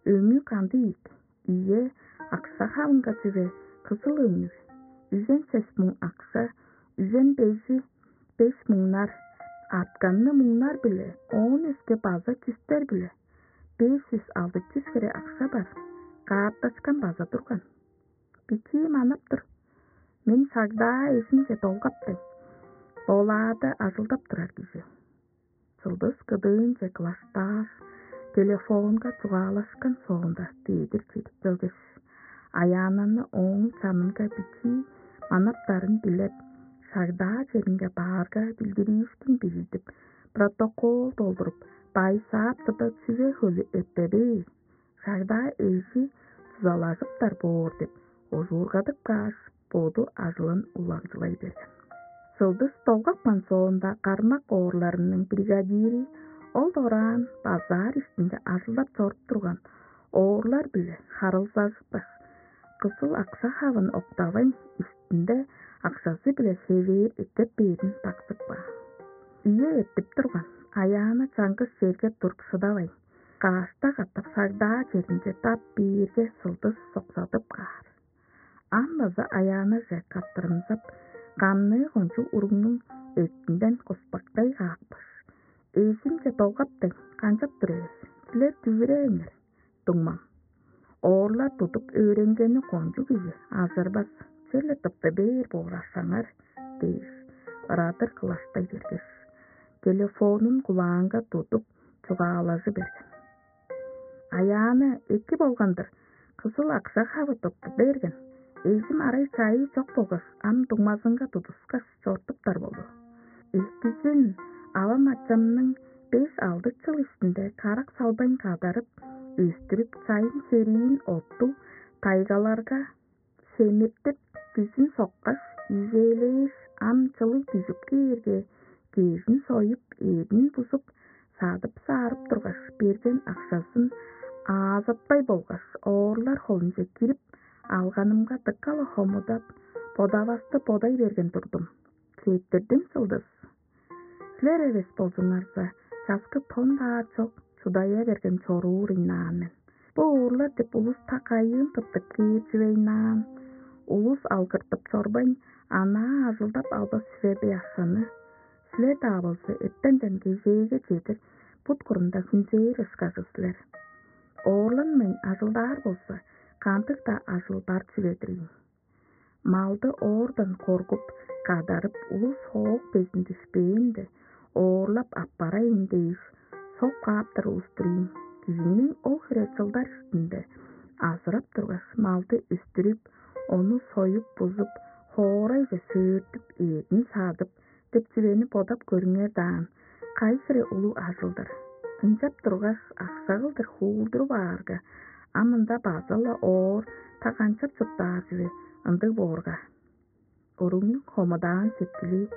Өңү кандыг ийик? Ийе, акша хавынга чүве кызыл өңнүг. Үжен сес муң акша, үжен бежи беш муңнар, артканны муңнар-биле, оон өске база чүстер-биле. Беш чүс алды чүс хире акша бар, каарташкан база турган. Бичии манап тур. Мен сагдаа эжимче долгап дег, болаада ажылдап турар кижи. Сылдыс кыдыынче кылаштааш, телефонга чугаалашкан соонда дедир чедип келгеш, Аяананы ооң чанынга бичии манаптарын билеп, сагдаа черинге баарга билдириишкин бижидип, протокол долдуруп, байсаап турда, чүве хөлү эртедээ, сагдаа эжи дузалажыптар боор деп ожуургадып кааш, боду ажылын уламчылай берген. Сылдыс долгапкан соонда, кармак оорларының бригадири ол дораан базаар иштинде ажылдап чоруп турган оорлар-биле харылзажыпкаш, кызыл акша хавын октавайн, иштинде акшазы-биле хевээр эккеп бээрин баксып каан. Ийе, эртип турган. Аяана чаңгыс черге туруп шыдавайн, кашта катап сагдаа черинче дап бээрге, Сылдыс соксадып каар. Ам база Аяанаже каттырымзап, камныы кончуг уругнуң эртинден куспактай каапкаш: «Эжимче долгап дег, канчап тур эвес? Силер дүвүрээңер, дуңмам». Оорлар тудуп өөренгени кончуг кижи ажырбас, черле тыпты бээр боор ашаңар дээш, ырадыр кылаштай бергеш, телефонун кулаанга тудуп, чугаалажы берген. Аяана эки болган-дыр, кызыл акша хавы тыпты берген. Эжим арай чайыы чок болгаш, ам дуңмазынга тудускаш, чортуптар болду. Экизин авам-ачамның беш-алды чыл иштинде карак салбайн кадарып, өстүрүп, чайын-хериин оттуг тайгаларга семиртип, күзүн соккаш, ижээлээш, ам чылыг дүжүп кээрге, кежин союп, эъдин бузуп, садып-саарып тургаш, берген акшазын аазатпай болгаш, оорлар холунче кирип алганымга, дыка-ла хомудап, бодавасты бодай берген турдум. Четтирдим, Сылдыс. Силер эвес болзуңарза, часкы тон-даа чок, чудая берген чоруур ыйнаан мен. Бо оорлар деп улус так айыын тыптып кээр чүве ыйнаан. Улус алгыртып чорбайн, анаа ажылдап албас чүве бе акшаны? Силер-даа болза, эртенден кежээге чедир бут курунда хүнзээр ышкажы силер. Оорланмайн ажылдаар болза, кандыг-даа ажыл бар чүве-дир ийин. Малды оордан коргуп, кадарып, улус хоок безин дүшпээнде, оорлап аппарайын дээш, соп кааптар улус-тур ийин. Кижиниң ол хире чылдар иштинде азырап тургаш, малды үстүрүп, ону союп-бузуп, хоорайже сөөртүп, эъдин садып деп чүвени бодап көрүңер даан, кайы хире улуг ажыл-дыр. Ынчап тургаш, акша кылдыр хуулдуруп аарга, ам ында база-ла оор, та канчап чурттаар чүве ындыг боорга? Уругнуң хомудаан сеткили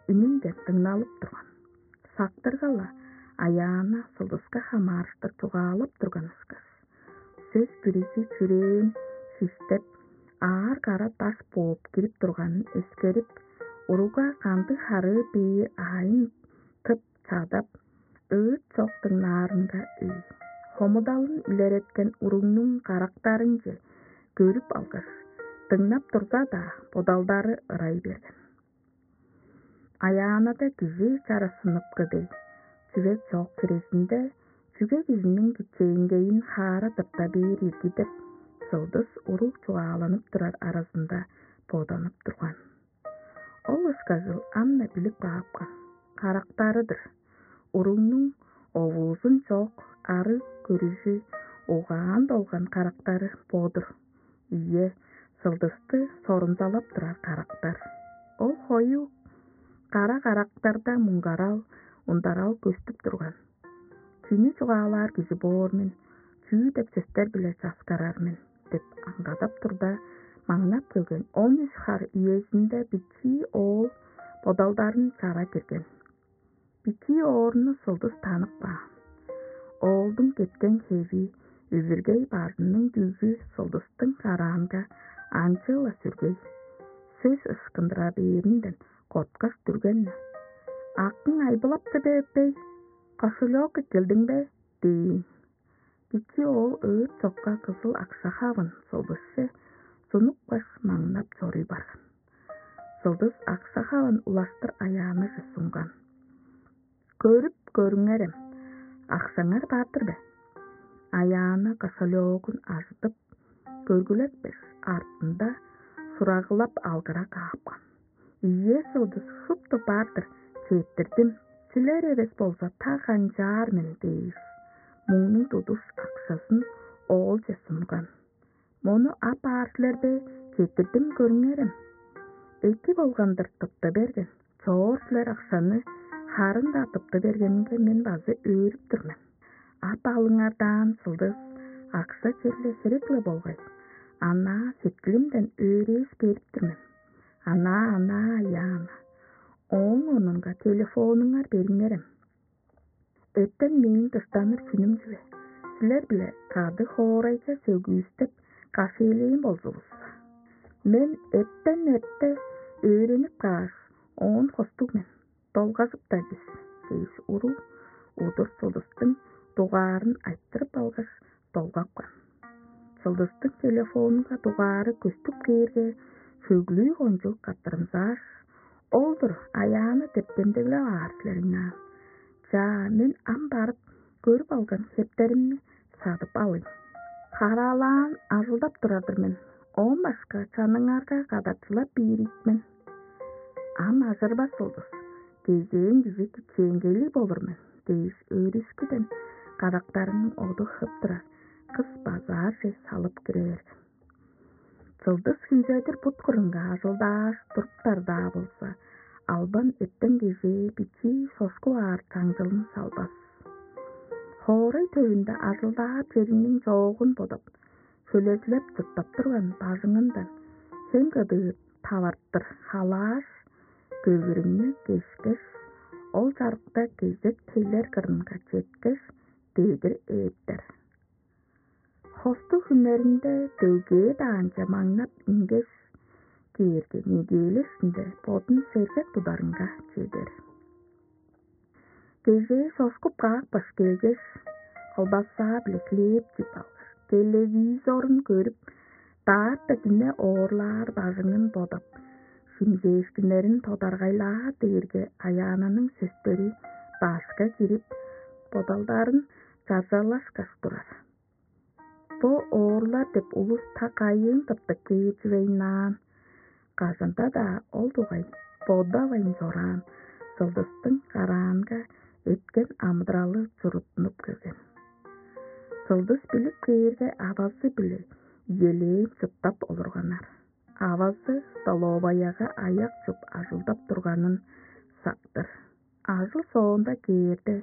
ининден дыңналып турган. Сактырга-ла, Аяана сылдыска хамаарыштыр чугаалап турган ышкаш. Сөс бүрүзү чүрээн шиштеп, аар кара даш бооп кирип турганын эскерип, уругга кандыг харыы бээр аайын тып чадап, ыыт чок дыңнаарынга үй. Хомудалын илереткен уругнуң карактарынче көрүп алгаш, дыңнап турза-даа, бодалдары ырай берген. Аяанада кижи чарашсынып кыдыг чүве чок хирезинде, чүге кижиниң кичээнгейин хаара тырта бээр ирги деп, сылдыс уруг чугааланып турар аразында боданып турган. Ол ышкажыл ам-на билип каапкан. Карактары-дыр. Уругнуң овуузун чок, арыг көрүжү, угаан долган карактары бо-дур. Ийе, сылдысты сорумзалап турар карактар. Ол хою кара карактарда муңгарал, ундарал көстүп турган. Чүнү чугаалаар кижи боор мен, чүү деп сөстер-биле часкарар мен деп аңгадап турда, маңнап келген он үш хар үезинде бичии оол бодалдарын чара кирген. Бичии оорну сылдыс танып каан. Оолдуң кеткен хеви, үвүргей бажының дүжү сылдыстың караанга анчыыла сүргей. Сөс ышкындыра бээринден корткаш дүрген-не: «Акың айбылапты бе, эппей? Кошелёк эккелдиң бе?» – дээн. Бичии оол ыыт чокка кызыл акша хавын сылдысче сунупкаш, маңнап чоруй барган. Сылдыс акша хавын улаштыр Аяанаже сунган. «Көрүп көрүңерем, акшаңар бар-дыр бе?» Аяана кошелёгун ажыдып, көргүлепкеш, артында сурагылап алгыра каапкан. «Ийе, сылдыс, шупту бар-дыр, четтирдим. Силер эвес болза, та канчаар мен» – дээш, муңнуң тудуш акшазын оолче сунган. «Мону ап аар силер бе? Четтирдим, көрүңерем. Эки болган-дыр, тыпты берген. Чоор силер акшаны, харын-даа тыпты бергенинге мен база өөрүп тур мен. Ап алыңар даан, сылдыс, акша черле херек-ле болгай. Анаа сеткилимден өөрээш берип тур мен. Анаа, анаа, Аяана. Ооң орнунга телефонуңар бериңерем. Эртен мээң дыштаныр хүнүм чүве. Силер-биле кады хоорайже сөгүүстеп, кафелээн болзувусса. Мен эртен эрте өөренип кааш, оон хостуг мен. Долгажып-даа бис» – дээш, уруг удур сылдыстың дугаарын айтырып алгаш, долгапкан. Сылдыстың телефонунга дугаары көстүп кээрге, хөглүү кончуг каттырымзааш: «Ол-дур, Аяана деп демдеглеп аар силер ыйнаан. Чаа, мен ам барып, көрүп алган хептеримни садып алыйн. Хараалаан ажылдап турар-дыр мен, оон башка чаныңарга кадарчылап бээр ийик мен». «Ам ажырбас, сылдыс, кезээң кижи кичээнгейлиг болур мен» – дээш, өөрүшкүден карактарының оду хып турар кыс базаарже салып кире берген. Сылдыс хүнзедир бут кырынга ажылдааш туруптар-даа болза, албан эртен-кежээ бичии сошкуп аар чаңчылын салбас. Хоорай төвүнде ажылдаар чериниң чоогун бодап, хөлезилеп чурттап турган бажыңындан хем кыдыы тавартыр халааш, көвүрүңнү кешкеш, ол чарыкта кезек тейлер кырынга четкеш, дедир ээптер. Хостуг хүннеринде дөггээ даанче маңнап ингеш кээрге, неделя иштинде бодун сергек тударынга чедер. Кежээ сошкуп каапкаш келгеш, колбаса-биле хлеб чип алгаш, телевизорун көрүп, даарта дүне оорлаар бажыңын бодап, шимчээшкиннерин тодаргайлаар дээрге, Аяананың сөстери башка кирип, бодалдарын чаржалашкаш турар. Бо оорлар деп улус та кайыын тыптып кээр чүвейн аан? Кажан-даа ол дугай бодавайн чораан Сылдыстың караанга эрткен амыдыралы чуруттунуп келген. Сылдыс билип кээрге, авазы-биле иелээн чурттап олурганнар. Авазы столоваяга аяк чуп ажылдап турганын сактыр. Ажыл соонда кээрде,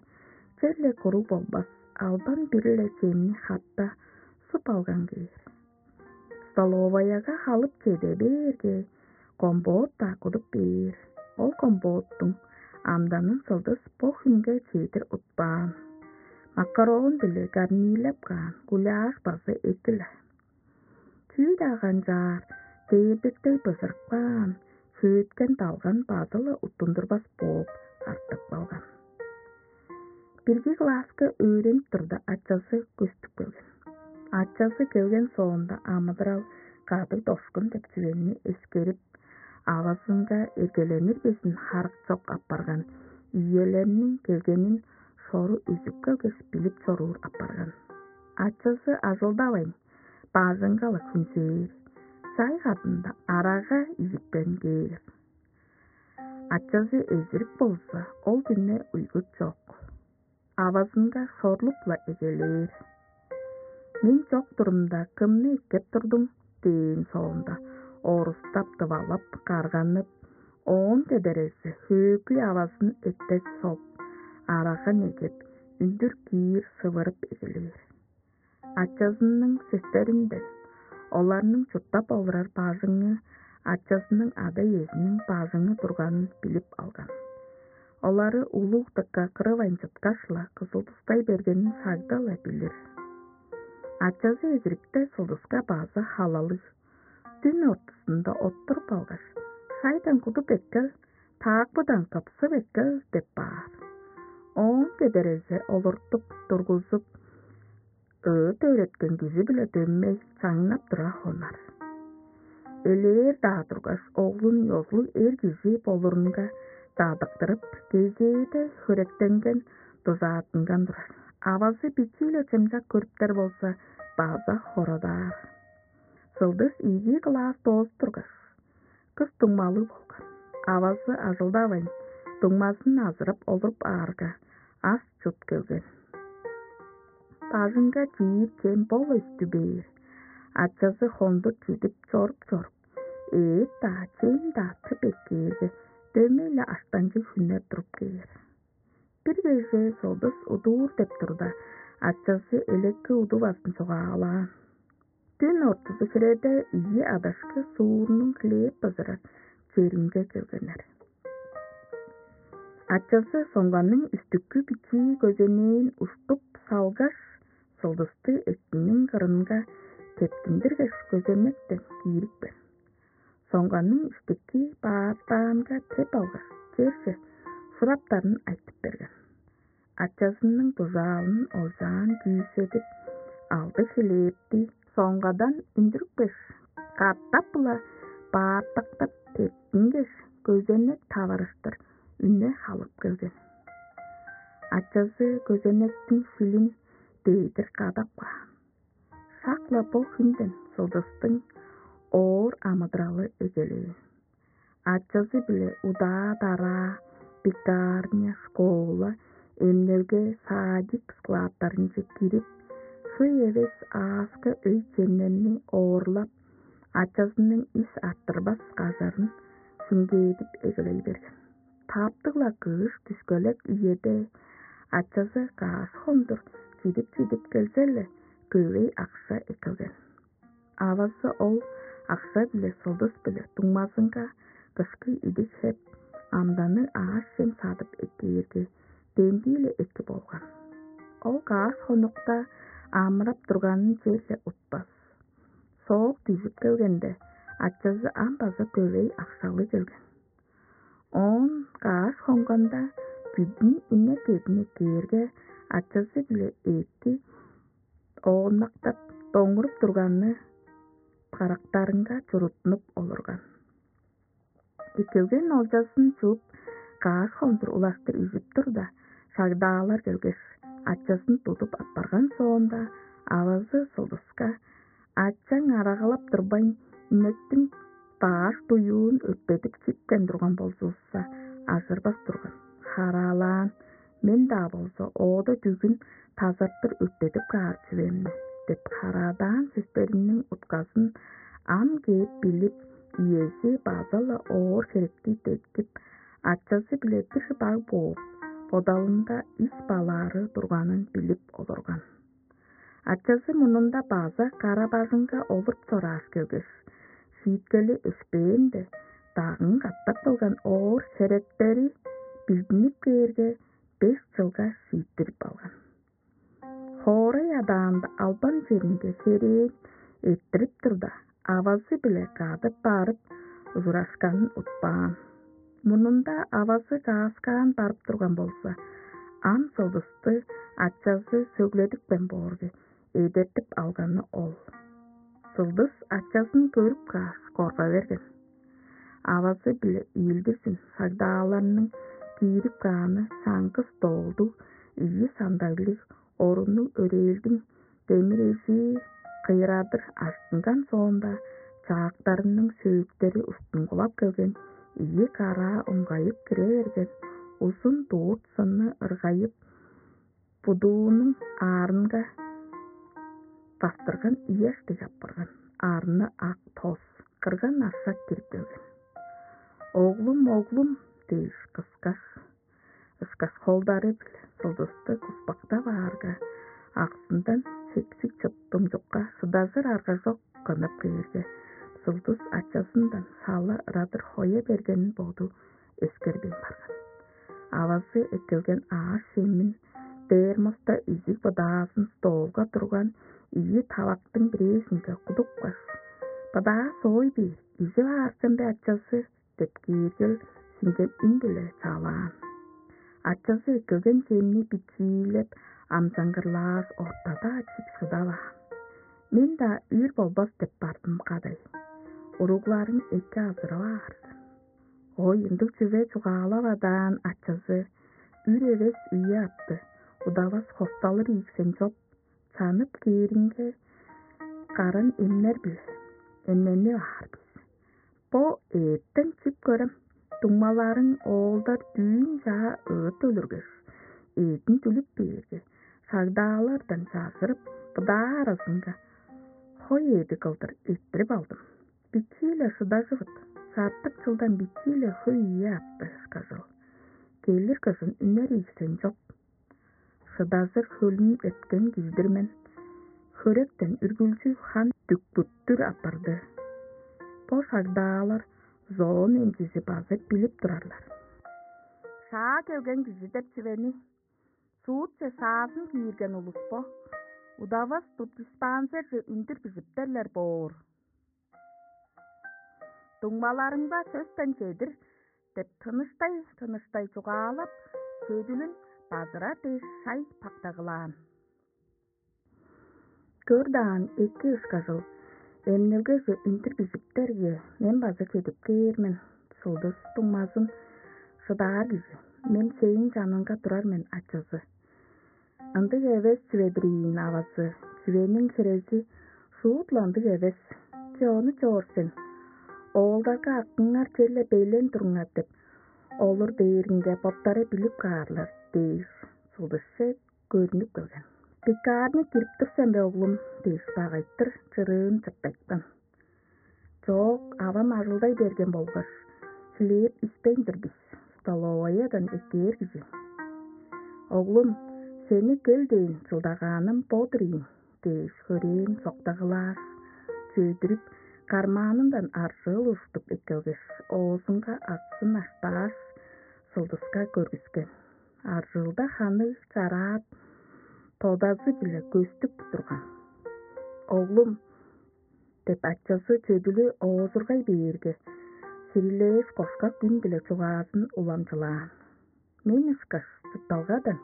черле куруг болбас, албан бир-ле чемни хатта суп алган кээр. Столоваяга халып чеде бээрге, компот-даа кудуп бээр. Ол компоттуң амданын Сылдыс бо хүнге чедир утпаан. Макарон-биле гарнирлеп каан гуляш база эки-ле. Чүү-даа канчаар, дээрдектей бызырып каан, шөөткен далган база-ла уттундурбас бооп артып калган. Бирги класска өөренип турда, ачазы көстүп келген. Ачазы келген соонда, амыдырал кадыг-дошкун деп чүвени эскерип, авазынга эргеленир безин харык чок апарган, иелерниң келгенин шору үзүп келгеш, билип чоруур апарган. Ачазы ажылдавайн, бажыңга-ла хүнзээр, чай кадында арага изипкен кээр. Ачазы эзирик болза, ол дүне уйгу чок. Авазынга шорлуп-ла эгелээр. «Мен чок турумда, кымны эккеп турдуң?» – дээн соонда, орустап, дывалап, карганып, оон кедерези хөөкүй авазын эттес соп, арага негеп, үндүр киир сывырып эгелээр. Ачазының сөстеринден оларның чурттап олурар бажыңы ачазының ада-иезиниң бажыңы турганын билип алган. Олары улуг дыка кырывайн чыткаш-ла, кызыл тустай бергенин шагда-ла билир. Ачазы эзирикте Сылдыска база халалыг. Дүн ортузунда оттуруп алгаш: «Шайдан кудуп эккел, таакпыдан кыпсып эккел» – деп баар. Оон кедерезе олуртуп тургузуп, ыыт өөреткен кижи-биле дөмей чаңнап тура хонар. Элээр-даа тургаш, оглун ёзулуг эр кижи болурунга дадыктырып, кезээде хөректенген, дужааттынган турар. Авазы бичии-ле чымчак көрүптер болза, база хорадаар. Сылдыс ийи класс доозуп тургаш, кыс дуңмалыг болган. Авазы ажылдавайн, дуңмазын азырап олуруп аарга, ас чут келген. Бажыңга чиир чем бо-ла үстү бээр. Ачазы хондур чидип чоруп-чоруп, эът-даа, чем-даа тып эккээрге, дөмей-ле аштанчыг хүннер туруп кээр. Бир кежээ Сылдыс удуур деп турда, ачазы элекке удувазын чугаалаан. Дүн ортузу хиреде ийи адашкы суурнуң хлеб бызырар черинге келгеннер. Ачазы соңганың үстүккү бичии көзенээн уштуп салгаш, Сылдысты эктиниң кырынга тептиндиргеш, көзенектен киирипкен. Соңганың иштики баартаанга теп алгаш, черже шураптарын айтып берген. Ачазының дужаалын олчаан күүседип, алды хлебти соңгадан үндүрүпкеш, катап-ла баартактап тептингеш, көзенек таварыштыр үне халып келген. Ачазы көзенектиң шилин дедир кадап каан. Шак-ла бо хүнден Сылдыстың оор амыдыралы эгелээн. Ачазы-биле удаа-дараа, пекарня, школа, эмнелге, садик складтарынче кирип, хөй эвес ааска өй-чемнерни оорлап, ачазының ис арттырбас кажарын шиңгээдип эгелей берген. Таптыг-ла кыш дүшкелек үеде ачазы каш хондур чидип-чидип келзе-ле, көвей акша эккелген. Авазы ол акша-биле Сылдыс-биле дуңмазынга кышкы идик хеп, амданныг аъш-чем садып эккээрге, демдии-ле эки болган. Ол каш хонукта амырап турганын черле утпас. Соок дүжүп келгенде, ачазы ам база көвей акшалыг келген. Оон каш хонганда, бүдүн инек эъдин эккээрге, ачазы-биле эътти ооннактап, доңуруп турганы карактарынга чуруттунуп олурган. Эккелген олчазын чууп, каш хондур улаштыр үжүп турда, шагдаалар келгеш, ачазын тудуп аппарган соонда, авазы Сылдыска: «Ачаң арагалап турбайн, инектиң баш дуюун өрттедип чипкен турган болзувусса, ажырбас турган. Хараалаан, мен-даа болза оода дүгүн тазартыр өрттедип каар чүвем мен» деп, хараалаан сөстериниң утказын ам кээп билип, иези база-ла оор херекти деткип, ачазы-биле бир шыдаар бооп, бодалында ис балаары турганын билип олурган. Ачазы мурнунда база кара-бажыңга олуруп чорааш келгеш, шииткели өшпээнде, дагын катап кылган оор херектери билдинип кээрге, беш чылга шииттирип алган. Хоорай адаанда албан черинге херээн эрттирип турда, авазы-биле кады барып ужурашканын утпаан. Мурнунда авазы чааскаан барып турган болза, ам Сылдысты ачазы сөгледипкен боорге, эдертип алганы ол. Сылдыс ачазын көрүп кааш, корга берген. Авазы-биле ийилдирзин шагдааларның киирип кааны чаңгыс доолдуг ийи сандайлыг оруннуг өрээлдиң демир эжии кыйырадыр ажыттынган соонда, чаактарының сөөктери уштунгулап келген ийи караа уңгайып кире берген узун дурт сынны ыргайып, будуунуң аарынга бастырган ийи аштыг апарган, арны ак тос, кырган ашак кирип келген. «Оглум, оглум!» дээш кыскаш, ышкаш холдары-биле Сылдысты куспактап аарга, аксындан сексик чыттымчукка шыдажыр арга чок кынып кээрге, Сылдыс ачазындан сала ырадыр хоя бергенин боду эскербейн барган. Авазы эккелген аъш-чемин, термоста изиг быдаазын столга турган ийи тавактың бирээзинге кудупкаш: «Быдаа соой бээр, ижип аар сен бе, ачазы?» — деп, кээргел сиңген үн-биле чаалаан. Ачазы эккелген чемни бичиилеп, амчангырлааш, ортада чип шыдаваан. «Мен-даа үр болбас деп бардым кадай. Уругларың эки азырап аар сен». Ой, ындыг чүве чугаалавадаан ачазы үр эвес ийи апты, удавас хосталыр ийиксен чоп, чанып кээринге, каран эмнер-биле эмненип аар бис. Бо эъттен чип көрем, дуңмаларың оолдар дүүн чаа ыыт өлүргеш, эъдин дүлүп бээрге, шагдаалардан чажырып, быдаа аразынга хой эъди кылдыр эрттирип алдым. Бичии-ле шыдажывыт, чартык чылдан бичии-ле хөй ийи апты ышкажыл. Келир кыжын үнер ийиксен чоп. Шыдажыр хөлүн эрткен кижи-дир мен. Хөректен үргүлчү хан дүкпүттүр апарды. Бо шагдаалар зоон эмчизи база билип турарлар. Шаа келген кижи деп чүвени суутче шаазын киирген улус бо. Удавас тудуспаан черже үндүр бижиптерлер боор. «Дуңмаларыңга сөстен чедир» деп тыныштай-тыныштай чугаалап, чөдүлүн базырар дээш шай пактагылаан. «Көр даан, эки ышкажыл, эмнелгеже үндүр бижиптерге, мен база чедип кээр мен. Сылдыс дуңмазын шыдаар кижи, мен сээң чаныңга турар мен, ачазы». «Ындыг эвес чүве-дир ийин, авазы, чүвениң хирези шуут-ла ындыг эвес. Че, ону чоор сен. Оолдарга: „Акыңар черле белен туруңар“ – деп олур дээринге, боттары билип каарлар» – дээш, сылдысче көрнүп келген. «Пекарня кирип тур сен бе, оглум?» – дээш, багайтыр чырыын чыртайткан. «Чок, авам ажылдай берген болгаш, хлеб испейн-дир бис, столоваядан эккээр кижи». «Оглум, сени кел дээн чылдагааным бо-дур ийин» – дээш, хөрээн соктагылааш, чөдүрүп, кармаанындан аржыыл уштуп эккелгеш, оозунга аксын аштааш, сылдыска көргүскен. Аржыылда ханы чараат тодазы-биле көстүп турган. «Оглум» – деп, ачазы чөдүлү оозургай бээрге, хирилээш, кошкак үн-биле чугаазын уламчылаан. «Мен ышкаш чуртталгадан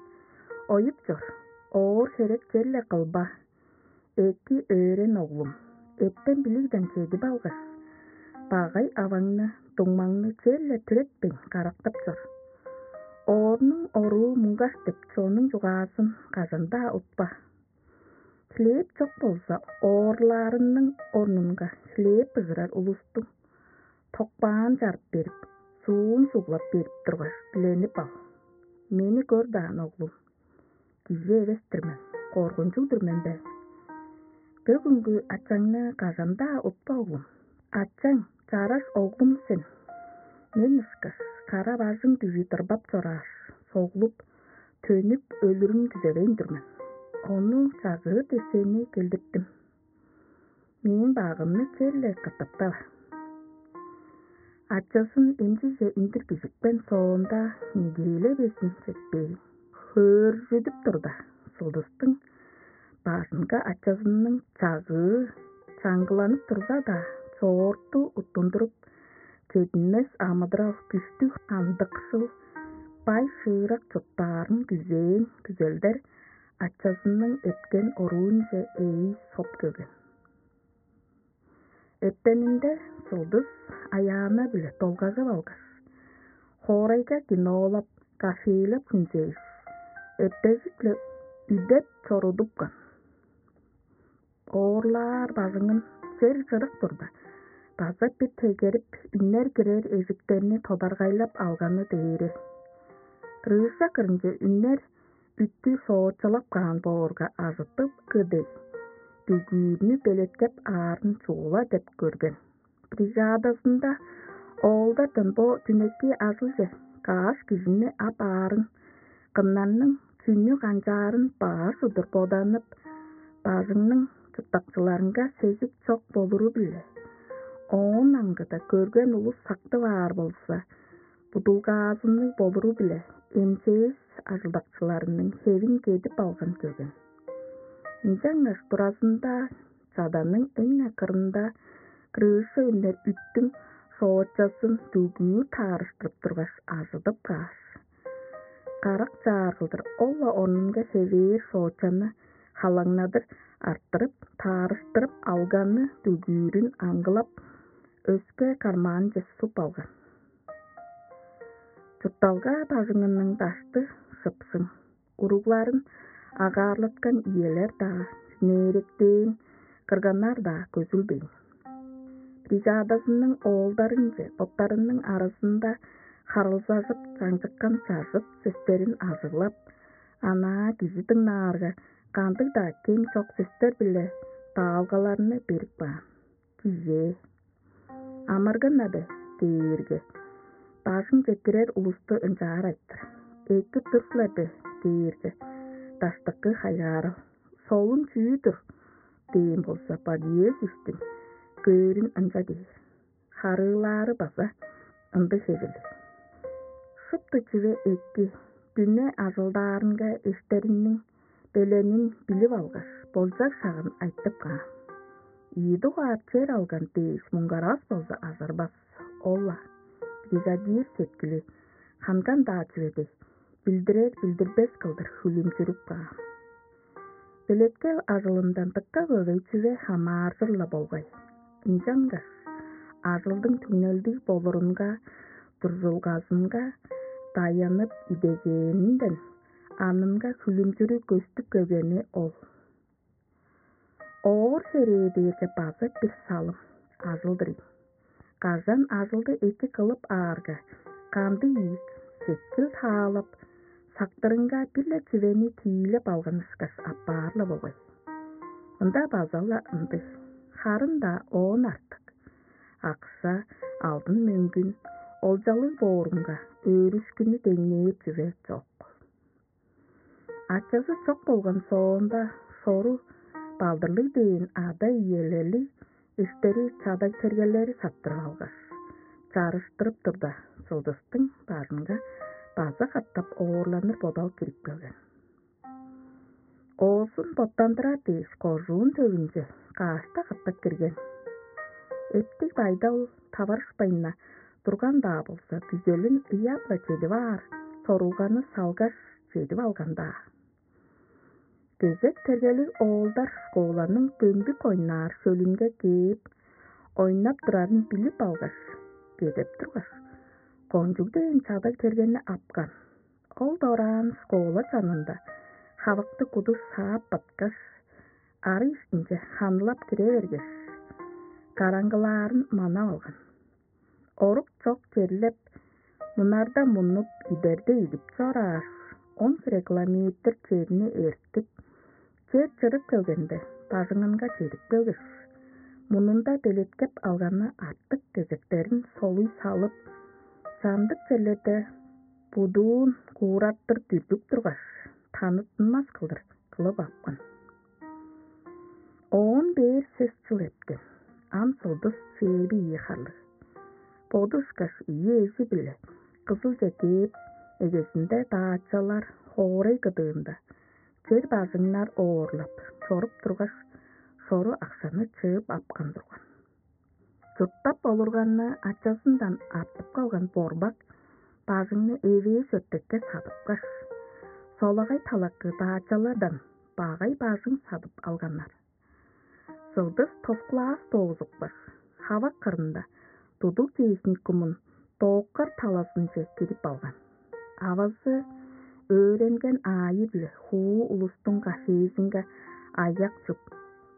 оюп чор, оор херек черле кылба. Эки өөрен, оглум, эртен билигден чедип алгаш, багай аваңны, дуңмаңны черле түретпейн карактап чор. Оорнуң оруу муңгаш деп чоннуң чугаазын кажан-даа утпа. Хлеб чок болза, оорлаарының орнунга хлеб быжырар улустуң Токпаан чарып берип, суун суглап берип тургаш, диленип ал: «Мени көр даан, оглум. Кижи эвес-тир мен, коргунчуг-дур мен бе? Бөгүнгү ачаңны кажан-даа утпа, оглум. Ачаң чараш оглум сен. Мен ышкаш кара бажың дүжү дырбап чорааш, соглуп, төнүп өлүрүн күзевейн тур мен. Ону чажыыр десээни келдиртим. Мээң багымны черле катаптава». Ачазын эмчиже үндүр кижипкен соонда, неделя безин четпээн, хөөржүдүп турда, сылдыстың бажынга ачазының чагыы чаңгыланып турза-даа, чоорту уттундуруп, чединмес амыдырал, күштүг андыкшыл, бай шыырак чурттаарын күзээн күзелдер ачазының эрткен оруунче ээй соп келген. Эртенинде сылдыс аяана-биле долгажып алгаш, хоорайга кинолап, кафелеп хүнзээш, эртежик-ле үдеп чорудупкан. Оорлаар бажыңын чер чырык турда, база бир тегерип, үнер кирер эжиктерни тодаргайлап алганы дээри. Крыша кырынче үнер үттү соочалап каан боорга, ажыттып кыдый, дүгүүрнү белеткеп аарын чугула деп көрген. Бригадазында оолдардан бо дүнеки ажылче каш кижини ап аарын, кымнарның чүнү канчаарын баш удур боданып, бажыңның чурттакчыларынга сезик чок болуру-биле, оон аңгыда көрген улус сактып аар болза, будулгаазынныг болуру-биле, МЧС ажылдакчыларының хевин кедип алган көрген. Ынчангаш туразында чаданың эң-не кырында крыша үнер үттүң соочазын дүгүүр таарыштырып тургаш, ажыдып кааш, карак чаар кылдыр ол-ла орнунга хевээр соочаны халаңнадыр арттырып, таарыштырып алганы дүгүүрүн аңгылап, өске кармаанче суп алган. Чуртталга бажыңының дашты шыпсың, уругларын агаарлаткан иелер-даа, нээректээн кырганнар-даа көзүлбээн. Бригадазының оолдарынче боттарының аразында харылзажып чаңчыккан чажыт сөстерин ажыглап, анаа кижи дыңнаарга, кандыг-даа кем чок сөстер-биле даалгаларны берип каан. Кижээ: «Амыргын-на бе?» — дээрге, бажыңче кирер улусту ынчаар айтыр: «Экип тур силер бе?» — дээрге, даштыкы хайгаарал: «Солун чүү-дүр?» — дээн болза, Богиезовтиң көөрүн ынча дээр. Харыылаары база ындыг хевирлиг. Шупту чүве эки, дүне ажылдаарынга эштериниң беленин билип алгаш, болчаг шагын айтып каан. Ийи дугаар чер алган дээш муңгарас болза, ажырбас. Ол-ла бригадир сеткили ханган-даа чүве дег, билдирер-билдирбес кылдыр хүлүмчүрүп каан. Белеткел ажылындан дыка көвей чүве хамааржыр-ла болгай. Ынчангаш ажылдың түңнелдиг болурунга, дурзулгазынга даянып идегээнинден анынга хүлүмчүрү көстүп келгени ол. Оор херээ дээрге база бир салым ажыл-дыр ийин. Кажан ажылды эки кылып аарга, кандыг ийик сеткил таалап, сактырынга бир-ле чүвени тиилеп алган ышкаш апаар-ла болгай. Мында база-ла ындыг, харын-даа оон артык. Акша, алдын-мөңгүн, олчалыг боорунга өөрүшкүнү деңнээр чүве чок. Ачазы чок болган соонда, сору балдырлыг дээн ада-иелели эштери чадаг-тергелери саттырып алгаш, чарыштырып турда, сылдыстың бажынга база катап оорланыр бодал кирип келген. Оозун боттандырар дээш, кожуун төвүнче кашта катап кирген. Эптиг байдал таварышпайн-на турган-даа болза, күзелин ыяап-ла чедип аар сорулганы салгаш, чедип алган-даа. Кезек тергелиг оолдар школаның дөмбүк ойнаар шөлүнге кээп, ойнап турарын билип алгаш, кедеп тургаш, кончуг дээн чадаг-тергени апкан. Ол дораан школа чанында хавыкты куду саап баткаш, ары иштинче ханылап кире бергеш, караңгылаарын манап алган. Орук чок черлеп, мунарда мунуп, идерде идип чорааш, он хире километр черни эртип, чер чырып келгенде, бажыңынга чедип келгеш, мунунда белеткеп алганы артык кезектерин солуй салып, чамдык черлерде будуун куураттыр дүргүп тургаш, таныттынмас кылдыр кылып апкан. Оон бээр сес чыл эрткен. Ам Сылдыс чээби ийи харлыг. Боду ышкаш ийи эжи-биле Кызылче кээп, эгезинде даачалар хоорай кыдыында чер бажыңнар оорлап чоруп тургаш, шору акшаны чыып апкан турган. Чурттап олурганны ачазындан артып калган Борбак бажыңны эвээш өртекке садыпкаш, солагай талакы даачалардан багай бажың садып алганнар. Сылдыс тос класс доозупкаш, хавак кырында тудуг техникумун дооккар талазынче кирип алган. Авазы өөренген аайы-биле хуу улустуң кафезинге аяк чуп,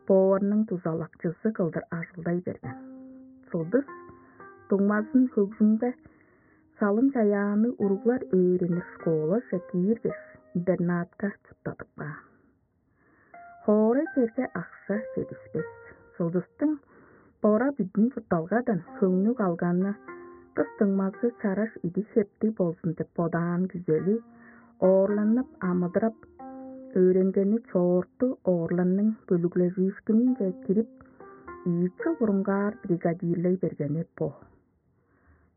поварның дузалакчызы кылдыр ажылдай берген. Сылдыс дуңмазын хөгжүмге салым-чаяанныг уруглар өөренир школаже кииргеш, интернатка чурттадып каан. Хоорай черге акша чедишпес. Сылдыстың бора бүдүн чуртталгадан хөңнү калганы, кыс дуңмазы чараш идиг-хептиг болзун деп бодаан күзели, оорланып амыдырап, өөренгени чоорту оорланның бөлүглежиишкининче кирип, ийи чыл бурунгаар бригадирлей бергени бо.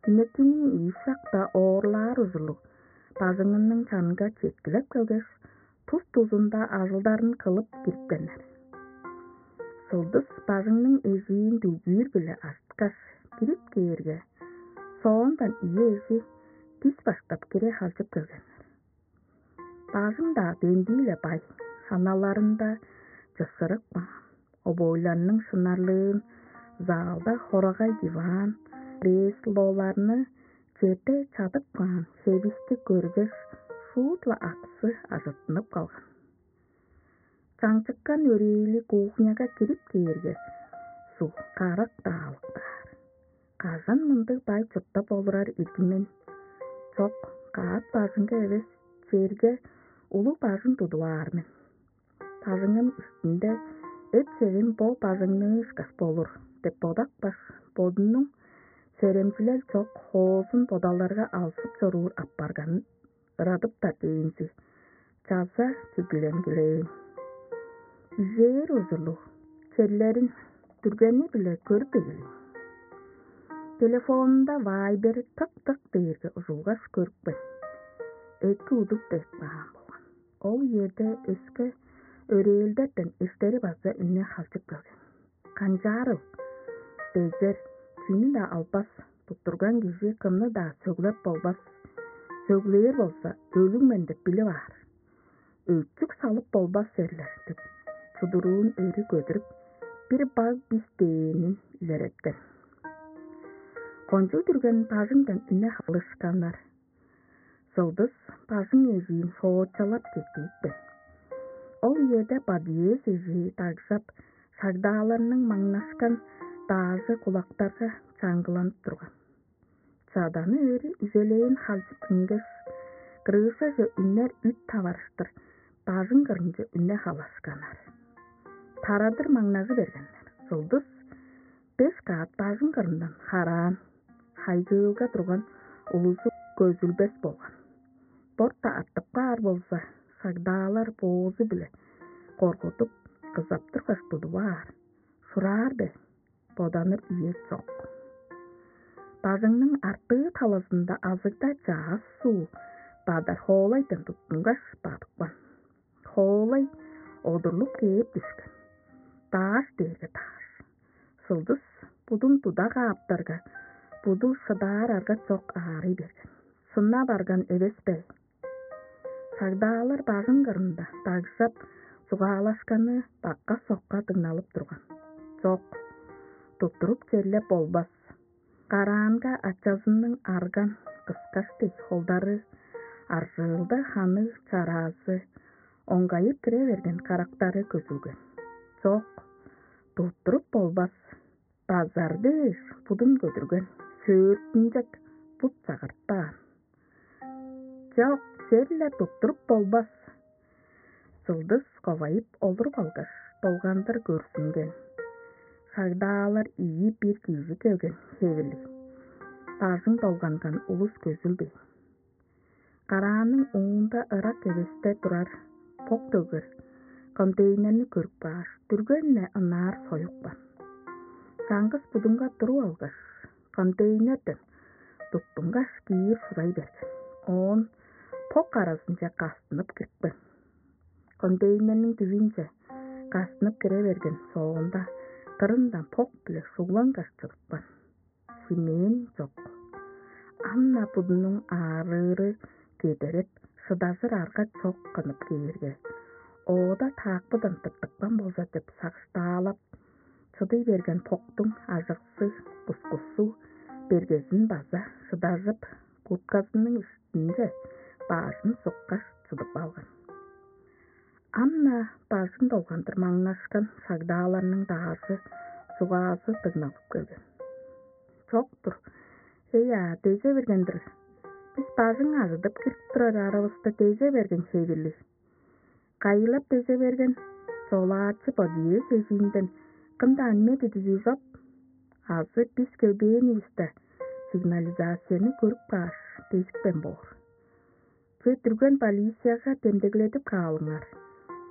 Күнекиниң ийи шакта оорлаар ужурлуг бажыңының чанынга четкилеп келгеш, тус-тузунда ажылдарын кылып кирипкеннер. Сылдыс бажыңның эжиин дүлгүүр-биле ажыткаш, кирип кээрге, соондан ийи эжи дис баштап кире халчып келгеннер. Бажың-даа дендии-ле бай, ханаларында чышырык баан, обойларның шынарлыын, залда хорагай диван, креслоларны черде чадып каан хевисти көргеш, шуут-ла аксы ажыттынып калган. Чаңчыккан өрээли кухняга кирип кээрге, суг карак-даа алыктаар. Кажан мындыг бай чурттап олурар ирги мен? Чок, каът бажыңга эвес, черге улуг бажың тудуп аар мен. Бажыңым үстүнде эп-севим бо бажыңныы ышкаш болур деп бодапкаш, бодунуң серемчилел чок хоозун бодалдарга алзып чоруур апарганын ырадыптар дээнзи чаза чүгленгилээн. Ижээр ужурлуг черлерин дүргени-биле көрүп эгелээн. Телефонунда вайбери тык-тык дээрге ужулгаш көрүпкен. Эки удуп дег баан болган. Ол үеде өске өрээлдерден эштери база үне халчып келген. Канчаарыл? Безер, чүнү-даа албас, туттурган кижи кымны-даа сөглеп болбас. Сөглээр болза, өлүг мен деп билип аар. Өчүк салып болбас серлер деп, чудуруун өрү көдүрүп, бир баг бис дээнин илереткен. Кончуг дүрген бажыңдан үне халышканнар. Сылдыс бажың эжиин соочалап кеттиипкен. Ол үеде подъезд эжии дагжап, шагдааларның маңнашкан даажы кулактарга чаңгыланып турган. Чаданы өрү үжелээн халчып үнгеш, крышаже үнер үт таварыштыр бажың кырынче үне халашканнар. Тарадыр маңнажы бергеннер. Сылдыс беш каат бажың кырындан хараан, хайгыылга турган улузу көзүлбес болган. Борта артып каар болза, шагдаалар боозу-биле коргудуп, кызаптыргаш тудуп аар. Шураар бе? Боданыр үе чок. Бажыңның артыы талазында азыгда чаас суу бадар хоолайдан туттунгаш бадыпкан. Хоолай одурлуп кээп дүшкен. Дааш дээрге дааш. Сылдыс будун туда кааптарга, буду шыдаар арга чок аарый берген. Сынна барган эвес бе? Сагдаалар бажың кырында дагжап, чугаалашканы бакка-сокка дыңналып турган. Чок, туттуруп черлеп болбас. Караанга ачазының арган кыскаш дег холдары, аржыылда ханы чараазы, оңгайып кире берген карактары көзүлген. Чок, туттуруп болбас. Базар дээш будун көдүрген. Сөөртүнчек бут сагыртпаан. «Чок, сер-ле туттуруп болбас». Сылдыс ковайып олуруп алгаш, долгандыр көрзүнген. Шагдаалар ийи бир кижи келген хевирлиг. Бажың долганган улус көзүлбейн. Караанның уунда ырак эвесте турар бок төгер контейнерни көрүп кааш, дүрген-не ынаар союпкан. Чаңгыс будунга туруп алгаш, контейнерден туттунгаш киир шурай берген. Оон бок аразынче кастынып кирипкен. Контейнерниң дивиинче кастынып кире берген соонда, кырындан бок-биле шуглангаш чыдыпкан. Шимээн чок. Ам-на будунуң аарыыры кедереп, шыдажыр арга чок кынып кээрге, оода таакпыдан тыртыпкан болза деп сагыштаалап, чыдый берген боктуң ажыксы, кускусу, бергезин база шыдажып, куртказының үстүнче бажын суккаш чыдып алган. Ам-на бажың долгандыр маңнашкан шагдааларның даажы, чугаазы дыңналып келген. Чок-тур. Эй-а, деже берген-дир. Бис бажың ажыдып кирип турар аравыста деже берген хевирлиг. Кайылап деже берген, чолаачы подъезд эжиинден кым-даа үнмеди дижи чоп. Азы бис келбээнивисте сигнализацияны көрүп кааш, дезипкен боор. Че дүрген полицияга демдегледип каалыңар.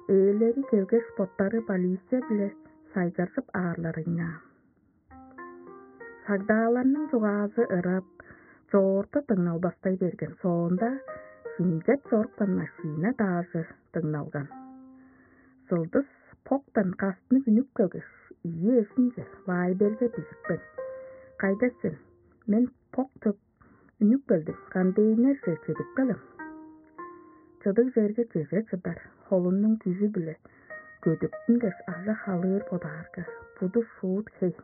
Ээлери келгеш, боттары полиция-биле сайгаржып аарларыйнаан. Сагдааларның чугаазы ырап, чоорту дыңналбастай берген соонда, химчеп чорупкан машина даажы дыңналган. Сылдыс поктан кастынып үнүп келгеш, ийи эжинче Вайберге бижипкен: «Кайда сен? Мен пок төп үнүп келдим, контейнерже чедип келем». Чыдыг черге чеже чыдар, холунуң күжү-биле көдүктүнгеш, ажа-халыыр бодаарга, буду шуут хей.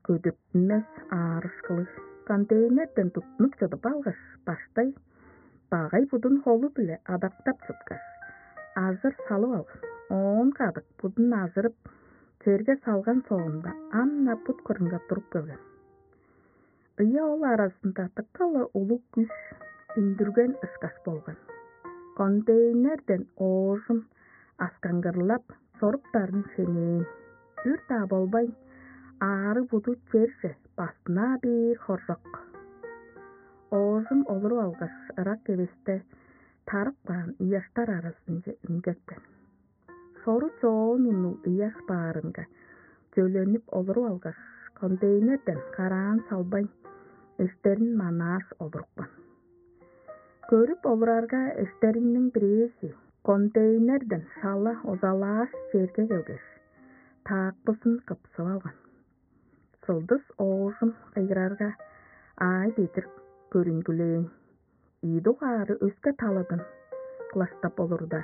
Көдүктүнмес аарышкылыг контейнерден туттунуп чыдып алгаш, баштай багай будун холу-биле адактап чыткаш, ажыр салып алган. Оон кадык будун ажырып, черге салган соонда, ам-на бут кырынга туруп келген. Ыя ол аразында дыка-ла улуг күш үндүрген ышкаш болган. Контейнерден оожум аскаңгырлап чоруптарын шенээн. Үр-даа болбайн, аарыг буду черже бастына бээр хоржок. Оожум олуруп алгаш, ырак эвесте тарып каан ыяштар аразынче үнгеткен. Шору чоон уннуг ыяш баарынга чөленип олуруп алгаш, контейнерден караан салбайн, эштерин манааш олурупкан. Көрүп олурарга, эштериниң бирээзи контейнерден шала озалааш черге келгеш, таакпызын кыпсып алган. Сылдыс оожум кыйгырарга, аай бедир көрүнгүлээн. Ийи дугаары өске таладан кылаштап олурда: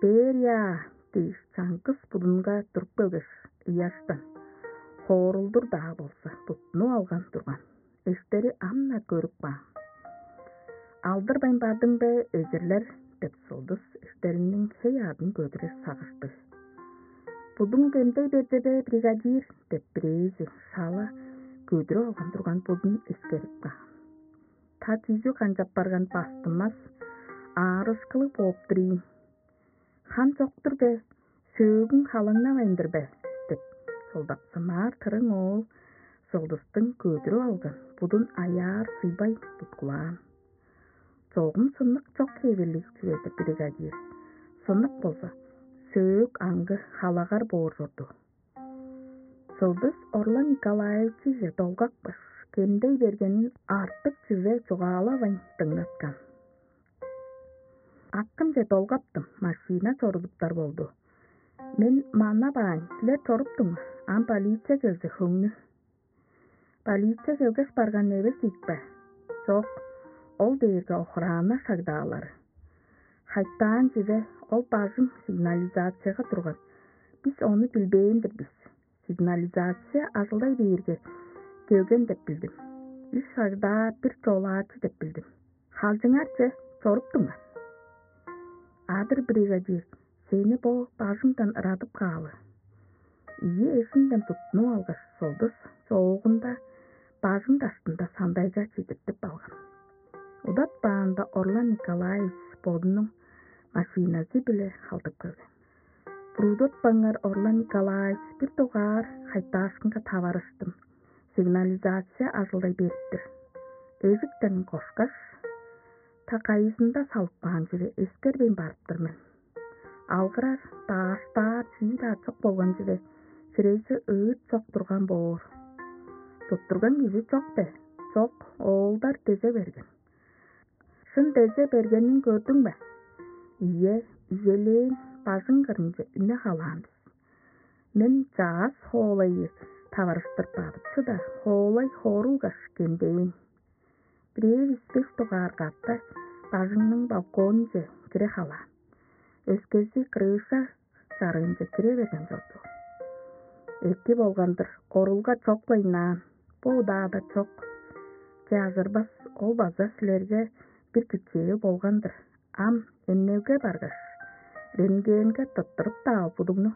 «Берия!» — дээш, чаңгыс будунга туруп келгеш, ыяштан хоорулдур-даа болза туттунуп алган турган. Эштери ам-на көрүп каан. «Алдырбайн бардың бе, эзирлер?» — деп, сылдыс эштериниң хей-аъдын көдүрер сагыштыг. «Будуң кемдей берди бе, бригадир?» — деп, бирээзи шала көдүрүп алган турган будун эскерип каан. «Та чүзү канчап барган, бастынмас, аарышкылыг бооп тур ийин». «Хан чок-тур бе? Сөөгүң халаңнавайн-дыр бе?» — деп, солдаксымаар тырың оол сылдыстың көдүрүп алган будун аяар суйбай туткулаан. «Чогум сынныг чок хевирлиг чүве-дир, бригадир. Сынныг болза, сөөк аңгы халагар боор чорду». Сылдыс Орлан Николаевичиже долгапкаш, кемдей бергенин артык чүве чугаалавайн дыңнаткан. «Акымче долгаптым, машина чорудуптар болду. Мен манап аайн, силер чоруптуңар, ам полиция келзе, хөңнү». «Полиция келгеш барган эвес ийик бе?» «Чок, ол дээрге охрана шагдаалары. Хайтаан чүве, ол бажың сигнализацияга турган. Бис ону билбээн-дир бис. Сигнализация ажылдай бээрге, келген деп билдим. Үш шагдаа, бир чолаачы деп билдим. Халчыңарче чоруптуңар». «Адыр, бригадир, сени бо бажыңдан ырадып каалы». Ийи эжинден туттунуп алгаш, сылдыс чоогунда бажың даштында сандайга чедиртип алган. Удатпаанда Орлан Николаевич бодунуң машиназы-биле халдып келген. Буруудатпаңар, Орлан Николаевич, бир дугаар хайтаашкынга таварыштым. Сигнализация ажылдай бериптир. Эжиктен кошкаш, та кайызында салып каан чүве эскербейн барыптыр мен. Алгырар, дааштаар чүү-даа чок болган чүве, хирези ыыт чок турган боор. Туттурган кижи чок бе? Чок, оолдар дезе берген. Шын дезе бергенин көрдүң бе? Ийе, ийелээн бажың кырынче үне халаан бис. Мен чаас хоолайы таварыштыр бадып чыда, хоолай хоорулгаш кендээн. Бирээвис беш дугаар катта бажыңның балконунче кире халаан. Өскези крыша чарыынче кире берген чорду. Эки болган-дыр, орулга чок-ла ынаан. Бо удаада чок. Че, ажырбас, ол база силерге бир күчээ болган-дыр. Ам эмнелге баргаш, рентгенге тырттырып-даа будугну